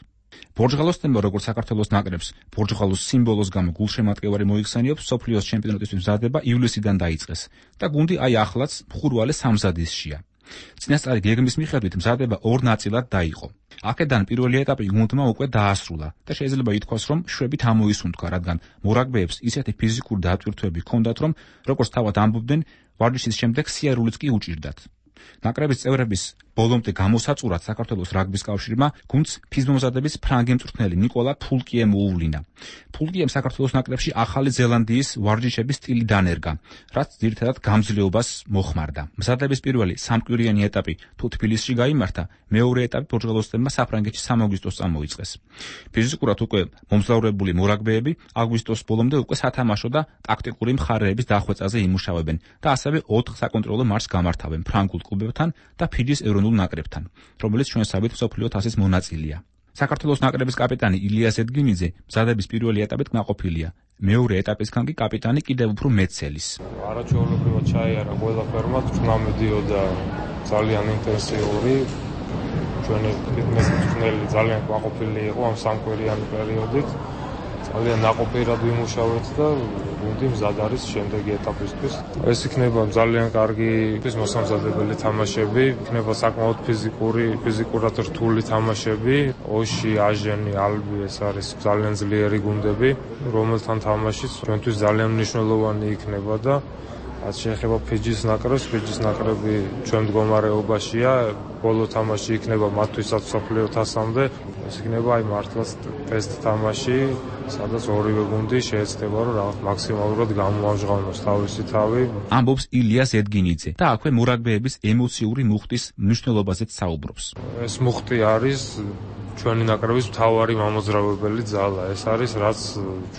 ბორჯღალოს თემა როგორც საქართველოს ნაკრებს ბორჯღალოს სიმბოლოს გამო გულშემატკივარი მოიხსენიებს, მსოფლიოს ჩემპიონატისთვის მზადება ივლისიდან დაიწყეს და გუნდი აი ახლაც მხურვალე სამზადისშია. წინასწარი გეგმის მიხედვით მზადება 2 ნაწილად დაიყო. აქედან პირველი ეტაპი გუნდმა უკვე დაასრულა და შეიძლება ითქვას, რომ შვებით ამოისუნთქვა, რადგან მორაგბეებს ისეთი ფიზიკური დატვირთვები ჰქონდათ, რომ როგორც თავად ამბობდნენ, ვარჯიშის შემდეგ სიარულიც კი უჭირდათ. ნაკრების წევრების ბოლომდე გამოსაწურად საქართველოს რაგბის კავშირმა გუნდს ფიზმომზადების ფრანგი მწვრთნელი ნიკოლა ფულკიე მოუვლინა. ფულკიემ საქართველოს ნაკრებში ახალი ზელანდიის ვარჯიშების სტილი დანერგა, რაც ძირითადად გამძლეობას მოხმარდა. მზადების პირველი სამკვირიანი ეტაპი თუ თბილისში გაიმართა, მეორე ეტაპი ბორჯღალოსთენმა საფრანგეთში 3 აგვისტოს წამოიწყეს. ფიზიკურად უკვე მომძლავრებული მორაგბეები აგვისტოს ბოლომდე უკვე სათამაშო და ტაქტიკური მხარეების დახვეწაზე იმუშავებენ და ასევე 4 საკონტროლო მარშს გამართავენ ფრანგულ კლუბებთან და ფიჯის ეროვნულ ეროვნულ ნაკრებთან, რომელიც ჩვენსავით მსოფლიო თასის მონაწილეა. საქართველოს ნაკრების კაპიტანი ილია ზედგინიძე მზადების პირველი ეტაპით კმაყოფილია. მეორე ეტაპისგან კი კაპიტანი კიდევ უფრო მეცელის. არაჩვეულებრივად ჩაიარა ყველაფერმა, წვნა მიდიოდა ძალიან ინტენსიური. ჩვენი მწვრთნელი ძალიან კმაყოფილი იყო ამ სამკვირიანი პერიოდით. ძალიან ნაყოფიერად ვიმუშავეთ და გუნდი მზად არის შემდეგი ეტაპისთვის. ეს იქნება ძალიან კარგი მოსამზადებელი თამაშები, იქნება საკმაოდ ფიზიკურად რთული თამაშები. ოში, აჟენი, ალბი ეს არის ძალიან ძლიერი გუნდები, რომელთან თამაშიც ჩვენთვის ძალიან მნიშვნელოვანი იქნება და რაც შეეხება ფიჯის ნაკრებს, ფიჯის ნაკრები ჩვენ მდგომარეობაშია, ბოლო თამაში იქნება მათთვისაც მსოფლიო თასამდე. ეს იქნება მართლაც ტესტ თამაში, სადაც ორივე გუნდი შეეცდება რომ მაქსიმალურად გამოამჟღავნოს თავისი თავი. ამბობს ილია ზედგინიძე და აქვე მურაგბეების ემოციური მუხტის მნიშვნელობაზეც საუბრობს. ეს მუხტი არის ჩვენი ნაკრების მთავარი მამოძრავებელი ძალა. ეს არის რაც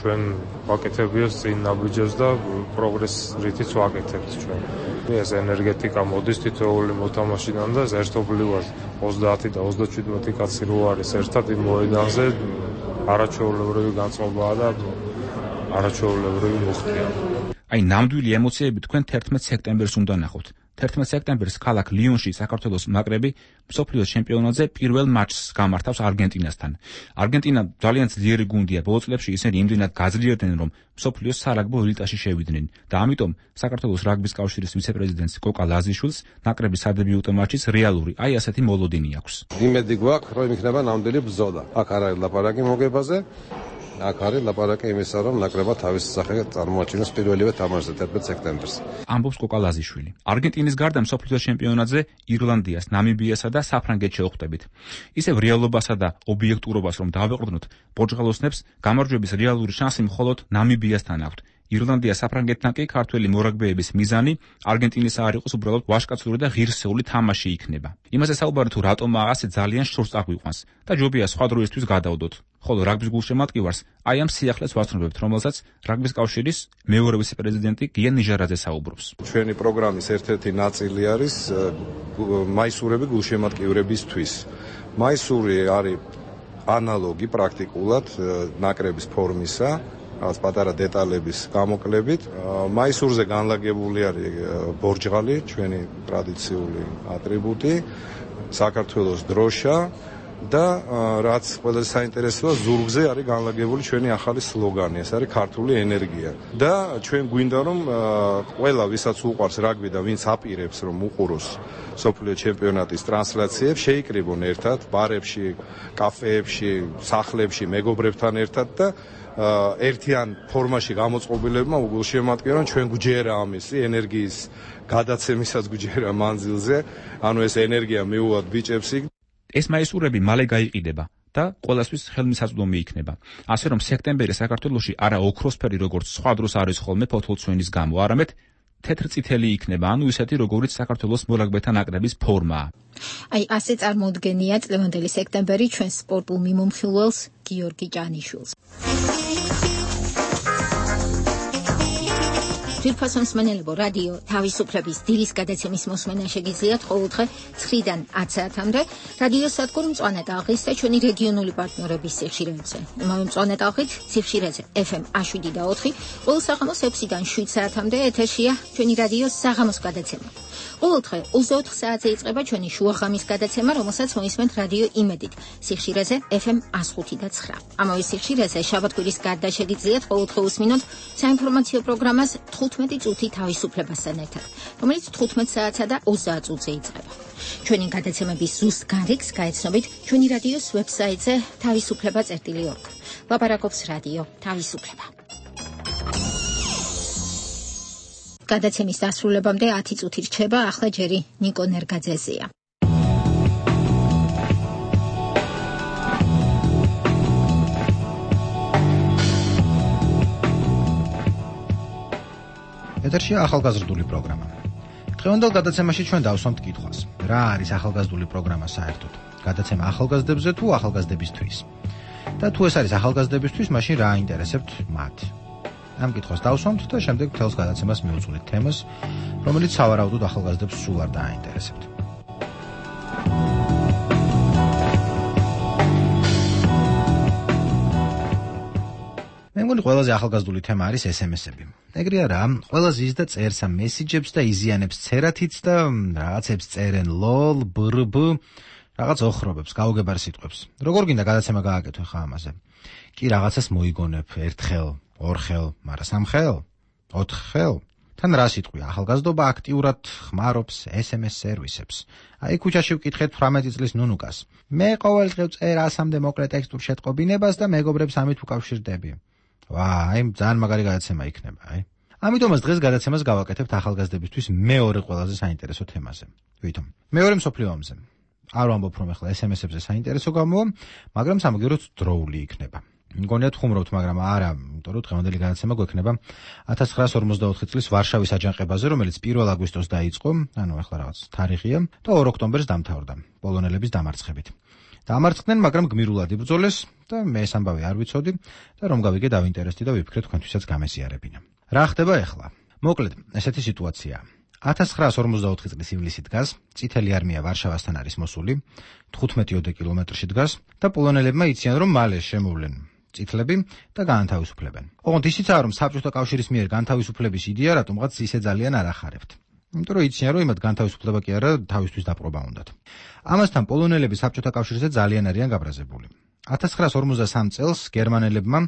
ჩვენ ვაკეთებიოს წინ ნაბიჯებს და პროგრესს რითიც ვაკეთებთ ჩვენ. ეს ენერგეტიკა მოდის თითოეული მოთამაშიდან და ერთობლივად 30 და 37 კაცი რო არის ერთად იმ მოედანზე არაჩვეულებრივი განწყობაა და არაჩვეულებრივი მუხტია. აი ნამდვილი ემოციები თქვენ 11 სექტემბერს უნდა ნახოთ. 11 სექტემბერს ქალაქ ლიონში საქართველოს ნაკრები მსოფლიოს ჩემპიონატზე პირველ მატჩს გამართავს არგენტინასთან. არგენტინა ძალიან ძლიერი გუნდია, ბოლო წლებში ისინი იმდენად გაძლიერდნენ, რომ მსოფლიოს სარაგბო ელიტაში შევიდნენ და ამიტომ საქართველოს რაგბის კავშირის ვიცე-პრეზიდენტს კოკა ლაზიშვილს ნაკრების სადებიუტო მატჩის რეალური, აი ასეთი მოლოდინი აქვს. იმედი გვაქვს, რომ იქნება ნამდვილი ბრძოლა. აქ არ არის ლაპარაკი მოგებაზე. აქ არის ლაპარაკი იმისა, რომ ნაკრებმა თავისი სახე წარმოაჩინოს პირველივე თამაშზე 11 სექტემბერს. ამბობს კოკა ლაზიშვილი. არგენტინის გარდა მსოფლიოს ჩემპიონატზე ირლანდიას, ნამიბიასა და საფრანგეთს შევხვდებით. ისევ რეალობასა და ობიექტურობას რომ დავეყრდნოთ, პორტუგალოსნებს გამარჯვების რეალური შანსი მხოლოდ ნამიბიასთან აქვთ. ირლანდია საფრანგეთთან კი ქართველი მორაგბეების მიზანი არგენტინის არ იყოს უბრალოდ ვაჟკაცური და ღირსეული თამაში იქნება. იმაზე საუბარი თუ რატომა ასე ძალიან შორს წაგვიყვანს და ჯობია სხვა დროისთვის გადავდოთ. ხოლო რაგბის გულშემატკივარს აი ამ სიახლეს ვასწრებთ, რომელსაც რაგბის კავშირის მეორე ვიცე-პრეზიდენტი გია ნიჟარაძე საუბრობს. ჩვენი პროგრამის ერთ-ერთი ნაწილი არის მაისურები გულშემატკივრებისთვის. მაისური არის ანალოგი პრაქტიკულად ნაკრების ფორმისა, რაღაც პატარა დეტალების გამოკლებით. მაისურზე განლაგებული არის ბორჯღალი, ჩვენი ტრადიციული ატრიბუტი, საქართველოს დროშა და რაც ყველაზე საინტერესოა, ზურგზე არის განლაგებული ჩვენი ახალი სლოგანი, ეს არის ქართული ენერგია. და ჩვენ გვინდა რომ ყველა ვისაც უყვარს რაგბი და ვინც აპირებს რომ უყუროს სოფლიო ჩემპიონატის ტრანსლაციებს, შეიკრიბონ ერთად ბარებში, კაფეებში, სახლებში მეგობრებთან ერთად და ერთიან ფორმაში გამოწყობილებმა უგულშემატკივრონ ჩვენ გვჯერა ამისი ენერგიის გადაცემისაც გვჯერა მანძილზე, ანუ ეს ენერგია მიუვათ ბიჭებს იქ. ეს მაისურები მალე გაიყიდება და ყველასთვის ხელმისაწვდომი იქნება. ასე რომ სექტემბერი საქართველოში არა ოქროსფერი როგორც სხვა დროს არის ხოლმე ფოთოლცვენის გამო, არამედ თეთრწითელი იქნება, ანუ ისეთი როგორიც საქართველოს მორაგბეთა ნაკრების ფორმაა. აი ასე წარმოუდგენია წლევანდელი სექტემბერი ჩვენ სპორტულ მიმომხილველს გიორგი ჭანიშვილს. ძვირფასო მსმენელებო, რადიო თავისუფლების დილის გადაცემის მოსმენა შეგიძლიათ ყოველდღე 9-დან 10 საათამდე რადიო სადგურ მწვანე ტალღის და ჩვენი რეგიონული პარტნიორების სიხშირეებზე. იმავე მწვანე ტალღით სიხშირეზე FM 107.4, ყოველ საღამოს 6-დან 7 საათამდე ეთერშია ჩვენი რადიოს საღამოს გადაცემა. ყოველდღე 24 საათზე იწყება ჩვენი შუაღამის გადაცემა, რომელსაც მოისმენთ რადიო იმედით სიხშირეზე FM 105.9. ამავე სიხშირეზე შაბათ-კვირის გარდა შეგიძლიათ ყოველდღე უსმინოთ საინფორმაციო პროგრამას 15 წუთი თავისუფლებასთან ერთად, რომელიც 15 საათსა და 30 წუთზე იწყება. ჩვენი გადაცემების ზუსტ განრიგს გაეცნობით ჩვენი რადიოს ვებსაიტზე თავისუფლება.org. ლაპარაკობს რადიო თავისუფლება. გადაცემის დასრულებამდე 10 წუთი რჩება, ახლა ჯერი ნიკო ნერგაძეზეა. ეთერშია ახალგაზრდული პროგრამა. დღევანდელ გადაცემაში ჩვენ დავსვამთ კითხვას: რა არის ახალგაზრდული პროგრამა საერთოდ? გადაცემა ახალგაზრდებზე თუ ახალგაზრდებისთვის? და თუ ეს არის ახალგაზრდებისთვის, მაშინ რა აინტერესებთ მათ? ამ კითხვას დავსვამთ და შემდეგ მთელს გადაცემას მივუძღვნით თემას, რომელიც სავარაუდოდ ახალგაზრდებს სულ არ დააინტერესებთ. მგონი ყველაზე ახალგაზრდული თემა არის SMS-ები. ეგრე არა, ყველაზე ის და წერს ამ მესიჯებს და იზიანებს ცერათიც და რაღაცებს წერენ lol, brb, რაღაც ოხრობებს, გაუგებარ სიტყვებს. როგორ გინდა გადაცემა გააკეთო ხა ამაზე? კი რაღაცას მოიგონებ ერთხელ, ორხელ, მაგრამ სამხელ, ოთხხელ. თან რა სიტყვი, ახალგაზრდობა აქტიურად ხმარობს SMS სერვისებს. აი ქუჩაში ვკითხეთ 18 წლის ნუნუკას. მე ყოველდღე წერ 100-მდე მოკლე ტექსტურ შეტყობინებას და მეგობრებს ამით ვკავშირდები. აი, ძალიან მაგარი გადაცემა იქნება, აი. ამიტომაც დღეს გადაცემას გავაკეთებთ ახალგაზრდებისთვის მეორე ყველაზე საინტერესო თემაზე. ვითომ? მეორე მსოფლიო ომზე. არ ვამბობ რომ ახლა SMS-ებზე საინტერესო გამოვა, მაგრამ სამაგეროთ დროული იქნება. მგონია ხუმრობთ, მაგრამ არა, იმიტომ რომ დღევანდელი გადაცემა გვექნება 1944 წლის ვარშავის აჯანყებაზე, რომელიც 1 აგვისტოს დაიწყო, ანუ ახლა რაღაც თარიღია და 2 ოქტომბერს დამთავრდა პოლონელების დამარცხებით. დამარცხდნენ, მაგრამ გმირულად იბრძოლეს და მე ეს ამბავი არ ვიცოდი და რომ გავიგე დავინტერესდი და ვიფიქრე თქვენთვისაც გამეზიარებინა. რა ხდება ახლა? მოკლედ, ესეთი სიტუაციაა. 1944 წლის ივლისი დგას, წითელი არმია ვარშავასთან არის მოსული, 15 კილომეტრში დგას და პოლონელებმა იციან რომ მალე შემოვლენ წითლები და გაანთავისუფლებენ. ოღონდ ისიცაა რომ საბჭოთა კავშირის მიერ განთავისუფლების იდეა რატომღაც ისე ძალიან არ ახარებთ. იმიტომ რომ იციან რომ იმათ განთავისუფლება კი არა, თავისთვის დაპყრობა უნდათ. ამასთან პოლონელები საბჭოთა კავშირზე ძალიან არიან გაბრაზებული. 1953 წელს გერმანელებმა,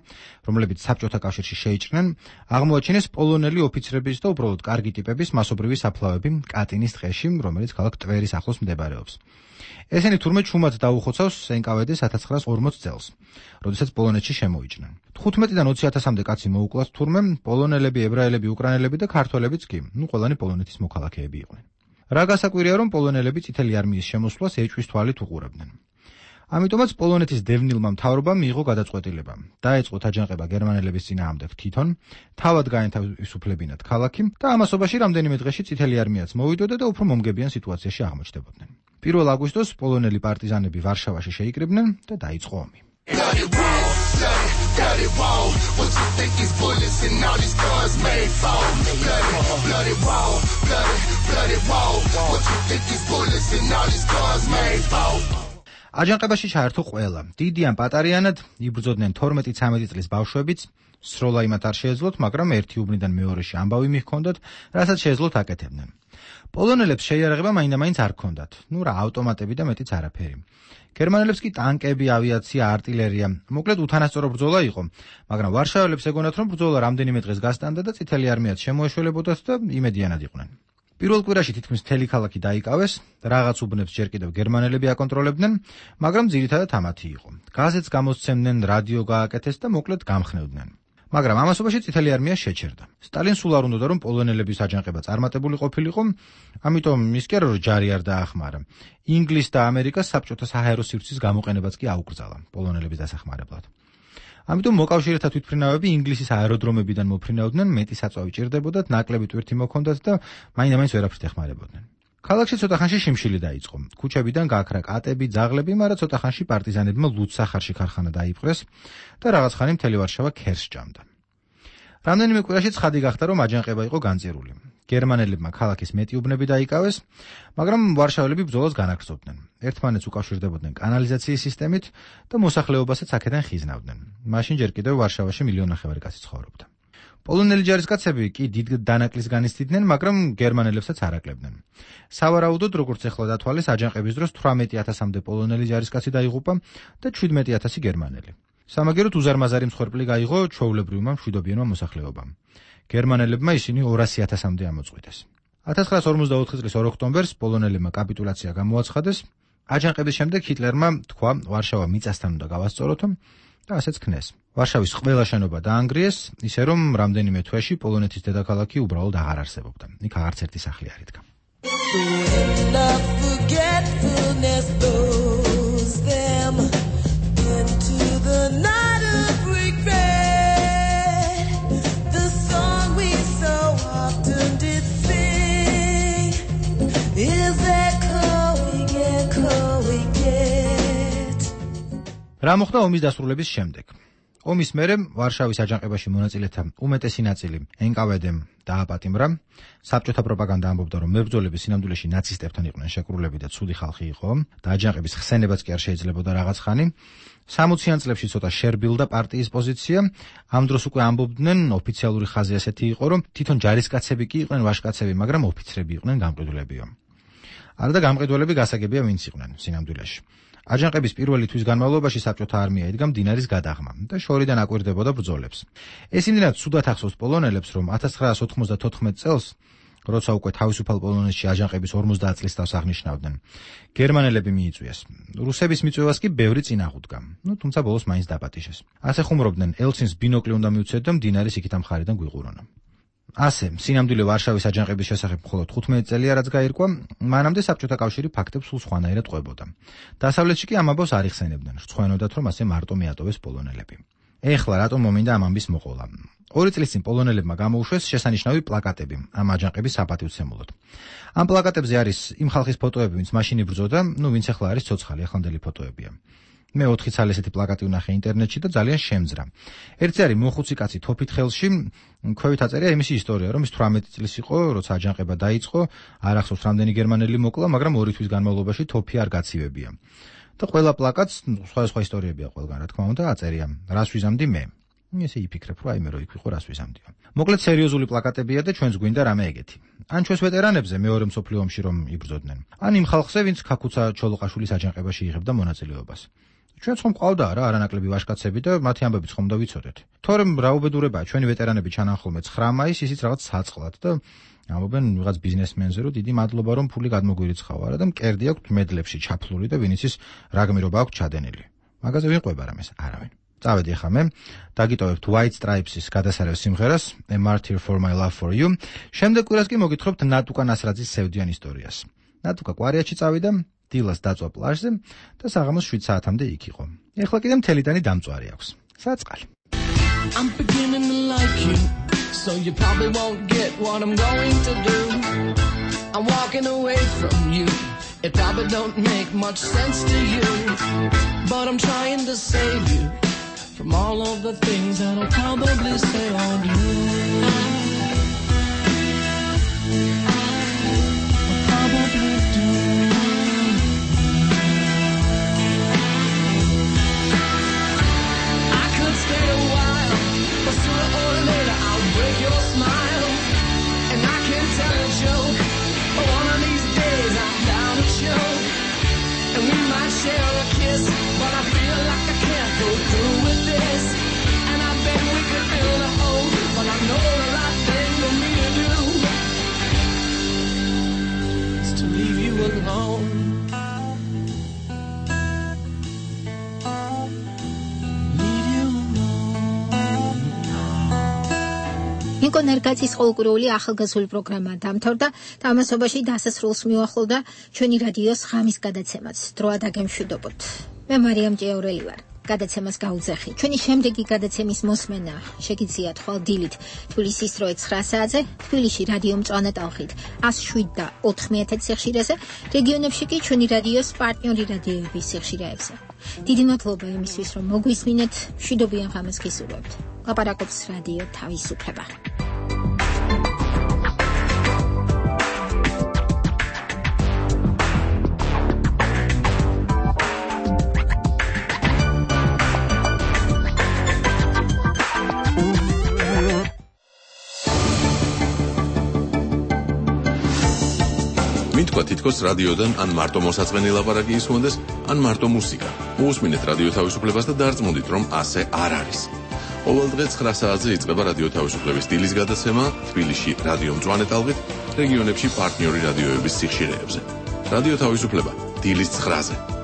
რომლებიც საბჭოთა კავშირში შეიჭრნენ, აღმოაჩინეს პოლონელი ოფიცრების და უბრალოდ კარგი ტიპების მასობრივი საფლავები კატინის ტყეში, რომელიც ქალაქ ტვერის ახლოს მდებარეობს. ესენი თურმე ჩუმად დაუხოცავს NKVD-ს 1940 წელს, როდესაც პოლონეთში შემოიჭრნენ. 15-დან 20,000-მდე კაცი მოუკლათ თურმე, პოლონელები, ებრაელები, უკრაინელები და ქართველებიც კი, ყველანი პოლონეთის მოქალაქეები იყვნენ. რა გასაკვირია, რომ პოლონელები წითელი არმიის შემოსვლას ეჭვის თვალით უყურებდნენ. ამიტომაც პოლონეთის დევნილმა მთავრობამ მიიღო გადაწყვეტილება. დაეწყოთ აჯანყება გერმანელების წინააღმდეგ თვითონ, თავად გაენთავისუფლებინათ ქალაქი და ამასობაში რამდენიმე დღეში წითელი არმიაც მოვიდოდა და უფრო მომგებიან სიტუაციაში აღმოჩნდებოდნენ. 1 აგვისტოს პოლონელი პარტიზანები ვარშავაში შეიკრიბნენ და დაიწყო ომი. აჯანყებაში ჩაერთო ყველა. დიდი ან პატარიანად იბრძოდნენ 12-13 წლის ბავშვებიც, სროლა იმათ არ შეეძლოთ, მაგრამ ერთი უბნიდან მეორეში ამბავი მიჰქონდათ, რასაც შეეძლოთ აკეთებდნენ. პოლონელებს შეიარაღება მაინდა-მაინც არ ჰქონდათ. რა ავტომატები და მეტიც არაფერი. გერმანელებს კი ტანკები, ავიაცია, არტილერია. მოკლედ უთანასწორო ბრძოლა იყო, მაგრამ ვარშაველებს ეგონათ, რომ ბრძოლა რამდენიმე დღეს გასტანდა და წითელი არმიაც შემოეშველებოდათ და იმედიანად იყვნენ. პირველ კვირაში თითქმის მთელი ქალაქი დაიკავეს, რაღაც უბნებს ჯერ კიდევ გერმანელები აკონტროლებდნენ, მაგრამ ძირითადად ამათი იყო. გაზეთს გამოსცემდნენ, რადიო გააკეთეს და მოკლედ გამხნევდნენ. მაგრამ ამასობაში წითელი არმია შეჩერდა. სტალინს სულ არ უნდოდა რომ პოლონელების აჯანყება წარმატებული ყოფილიყო, ამიტომ ის კი არა რომ ჯარი არ დაახმარა. ინგლისს და ამერიკას საბჭოთა საჰაერო სივრცის გამოყენებაც კი აუკრძალა პოლონელების დასახმარებლად. ამიტომ მოკავშირეთა თვითმფრინავები ინგლისის აეროდრომებიდან მოფრინავდნენ, მეტი საწვავი ჭირდებოდათ, ნაკლები ტვირთი მოქონდათ და მაინდა-მაინც ვერაფრით ეხმარებოდნენ. ქალაქში ცოტა ხანში შიმშილი დაიწყო. ქუჩებიდან გააქრა კატები, ძაღლები, მაგრამ ცოტა ხანში პარტიზანებმა ლუდსახარში ქარხანა დაიპყრეს და რაღაც ხანი მთელი ვარშავა ქერს ჭამდა. რამდენიმე კვირაში ცხადი გახდა, რომ აჯანყება იყო განწირული. გერმანელებმა ქალაქის მეტი უბნები დაიკავეს, მაგრამ ვარშაველები ბრძოლას განაგრძობდნენ. ერთმანეთს უკავშირდებოდნენ კანალიზაციის სისტემით და მოსახლეობასაც აქედან ხიზნავდნენ. მაშინ ჯერ კიდევ ვარშავაში 1,5 მილიონი კაცი ცხოვრობდა. პოლონელი ჯარისკაცები კი დიდ დანაკლის განიცდიდნენ, მაგრამ გერმანელებსაც არ აკლებდნენ. სავარაუდოდ, როგორც ახლა დათვალეს, აჯანყების დროს 18,000-მდე პოლონელი ჯარისკაცი დაიღუპა და 17,000 გერმანელი. სამაგეროთ უზარმაზარი მსხვერპლი გაიღო ჩვეულებრივმა მშვიდობიანმა მოსახლეობამ. გერმანელებმა ისინი 200,000-მდე ამოწყვიტეს. 1944 წლის 2 ოქტომბერს პოლონელებმა კაპიტულაცია გამოაცხადეს. აჯანყების შემდეგ ჰიტლერმა თქვა, ვარშავა მიწასთან უნდა გავასწოროთო და ასეც ქნეს. ვარშავის ყველა შენობა დაანგრიეს, ისე რომ რამდენიმე თვეში პოლონეთის დედაქალაქი უბრალოდ აღარ არსებობდა. იქ აღარც ერთი სახლი არ იდგა. რა მოხდა ომის დასრულების შემდეგ? ომის მერე ვარშავის აჯანყებაში მონაწილეთა უმეტესი ნაწილი NKVD-მ დააპატიმრა. საბჭოთა პროპაგანდა ამბობდა, რომ მებრძოლები სინამდვილეში ნაცისტებთან იყვნენ შეკრულები და ცუდი ხალხი იყო და აჯანყების ხსენებაც კი არ შეიძლებოდა რაღაც ხანი. 60-იან წლებში ცოტა შერბილდა პარტიის პოზიცია. ამ დროს უკვე ამბობდნენ, ოფიციალური ხაზი ასეთი იყო, რომ თვითონ ჯარისკაცები კი იყვნენ ვაჟკაცები, მაგრამ ოფიცრები იყვნენ გამყიდველებიო. არადა გამყიდველები გასაგებია ვინც იყვნენ სინამდვილეში. აჯანყების პირველი თვის განმავლობაში საბჭოთა არმია იდგა მდინარის გადაღმა და შორიდან აკვირდებოდა ბრძოლებს. ეს იმდენად ცუდად ახსოვს პოლონელებს, რომ 1994 წელს, როცა უკვე თავისუფალ პოლონეთში აჯანყების 50 წლის თავს აღნიშნავდნენ, გერმანელები მიიწვიეს. რუსების მიწვევას კი ბევრი წინ აღუდგა. თუმცა ბოლოს მაინც დაპატიშეს. ასე ხუმრობდნენ, ელცინს ბინოკლი უნდა მიუცეთ და მდინარის იქით ამ მხარიდან გვიყურონა. ასე, სინამდვილე ვარშავის აჯანყების შესახებ მხოლოდ 15 წელია რაც გაირკვა, მანამდე საბჭოთა კავშირი ფაქტებს სულ სხვანაირად ყვებოდა. დასავლეთში კი ამ ამბავს არ იხსენებდნენ, რცხვენოდათ, რომ ასე მარტო მიატოვეს პოლონელები. ეხლა რატომ მომინდა ამ ამბის მოყოლა? 2 წლის წინ პოლონელებმა გამოუშვეს შესანიშნავი პლაკატები ამ აჯანყების საპატივცემულოდ. ამ პლაკატებზე არის იმ ხალხის ფოტოები, ვინც მაშინ იბრძოდა, ვინც ახლა არის ცოცხალი, ახლანდელი ფოტოებია. მე 4 წელი ესეთი პლაკატი ვნახე ინტერნეტში და ძალიან შემძრა. ერთი არის მოხუცი კაცი თოფით ხელში, ქვევით აწერია იმისი ისტორია, რომ ის 18 წლის იყო, როცა აჯანყება დაიწყო, არ ახსოვს რამდენი გერმანელი მოკლა, მაგრამ 2 თვის განმავლობაში თოფი არ გაცივებია. და ყველა პლაკატს სხვა ისტორიებია ყველგან, რა თქმა უნდა, აწერია, რას ვიზამდი მე. ესე იფიქრებ, რომ მე რო იქ ვიყო, რას ვიზამდიო. მოკლედ სერიოზული პლაკატებია და ჩვენს გვინდა რამე ეგეთი. ან ჩვენს ვეტერანებზე მეორე მსოფლიო ომში რომ იბრძოდნენ. ან იმ ხალხზე, ვინც ქაქუცა ჩოლოყაშვილის აჯანყებაში იღებდა მონაწილეობას. ჩვენც ხომ ყავდა რა არანაკლები ვაჟკაცები და მათი ამბებიც ხომ დავიცოდეთ. თორემ რაუბედურებაა, ჩვენი ვეტერანები ჩანან ხოლმე 9 მაისს, ისიც რაღაც საწყლად და ამბობენ ვიღაც ბიზნესმენზე, რომ დიდი მადლობა რომ ფული გადმოგვირიცხავარა და მკერდი აქვს მედლებში ჩაფლული და ვინც ის რა გმირობა აქვს ჩადენილი. მაგაზე ვინ ყვება რამეს? არავინ. წავედი ახლა მე, დაგიტოვებთ White Stripes-ის გადასარევ სიმღერას A Martyr for My Love for You. შემდეგ კვირას კი მოგითხრობთ ნატუკა ნასრაძის სევდიან ისტორიას. ნატუკა კვარიაჩი წავიდა, დილას დაწვა პლაჟზე და საღამოს 7 საათამდე იქ იყო. ეხლა კიდე მთელი ტანი დამწვარი აქვს. საწყალი. I'm beginning to like you, so you probably won't get what I'm going to do. I'm walking away from you. It probably don't make much sense to you, but I'm trying to save you from all of the things that I'll probably say or do. I'll probably do. I could stay a while, but sooner or later I'll break your smile, and I can tell a joke, but one of these days I'm down to choke, and we might share a kiss, but I feel like I can't go through with this, and I bet we could build a home, but I know the right thing for me to do is to leave you alone. ნიკო ნერგაძის ყოველკვირეული ახალგაზრდული პროგრამა დამთავრდა და ამასობაში დასასრულს მიუახლოვდა ჩვენი რადიოს ღამის გადაცემაც. დროა დაგემშვიდობოთ. მე მარიამ ჭიაურელი ვარ. გადაცემას გაუძახი. ჩვენი შემდეგი გადაცემის მოსმენა შეგიძლიათ ხვალ დილით თბილისის დროით 9 საათზე, თბილისში რადიო მწვანე ტალღით 107 და 9000 სიხშირეზე, რეგიონებში კი ჩვენი რადიოს პარტნიორი რადიოების სიხშირეებზე. დიდი მადლობა იმისთვის, რომ მოგვისმინეთ, მშვიდობიან ღამეს გისურვებთ. ლაპარაკობს რადიო თავისუფლება. მითქვა თითქოს რადიოდან ან მარტო მოსაწყენი ლაპარაკი ისმოდეს, ან მარტო მუსიკა. მოусმინეთ რადიო თავისუფლებას და დარწმუნდით, რომ ასე არ არის. ყოველ დღე 9 საათზე იწყება რადიო თავისუფლების დილის გადაცემა თბილისში რადიო მწვანე ტალღით, რეგიონებში პარტნიორი რადიოების სიხშირეებზე. რადიო თავისუფლება დილის 9-ზე.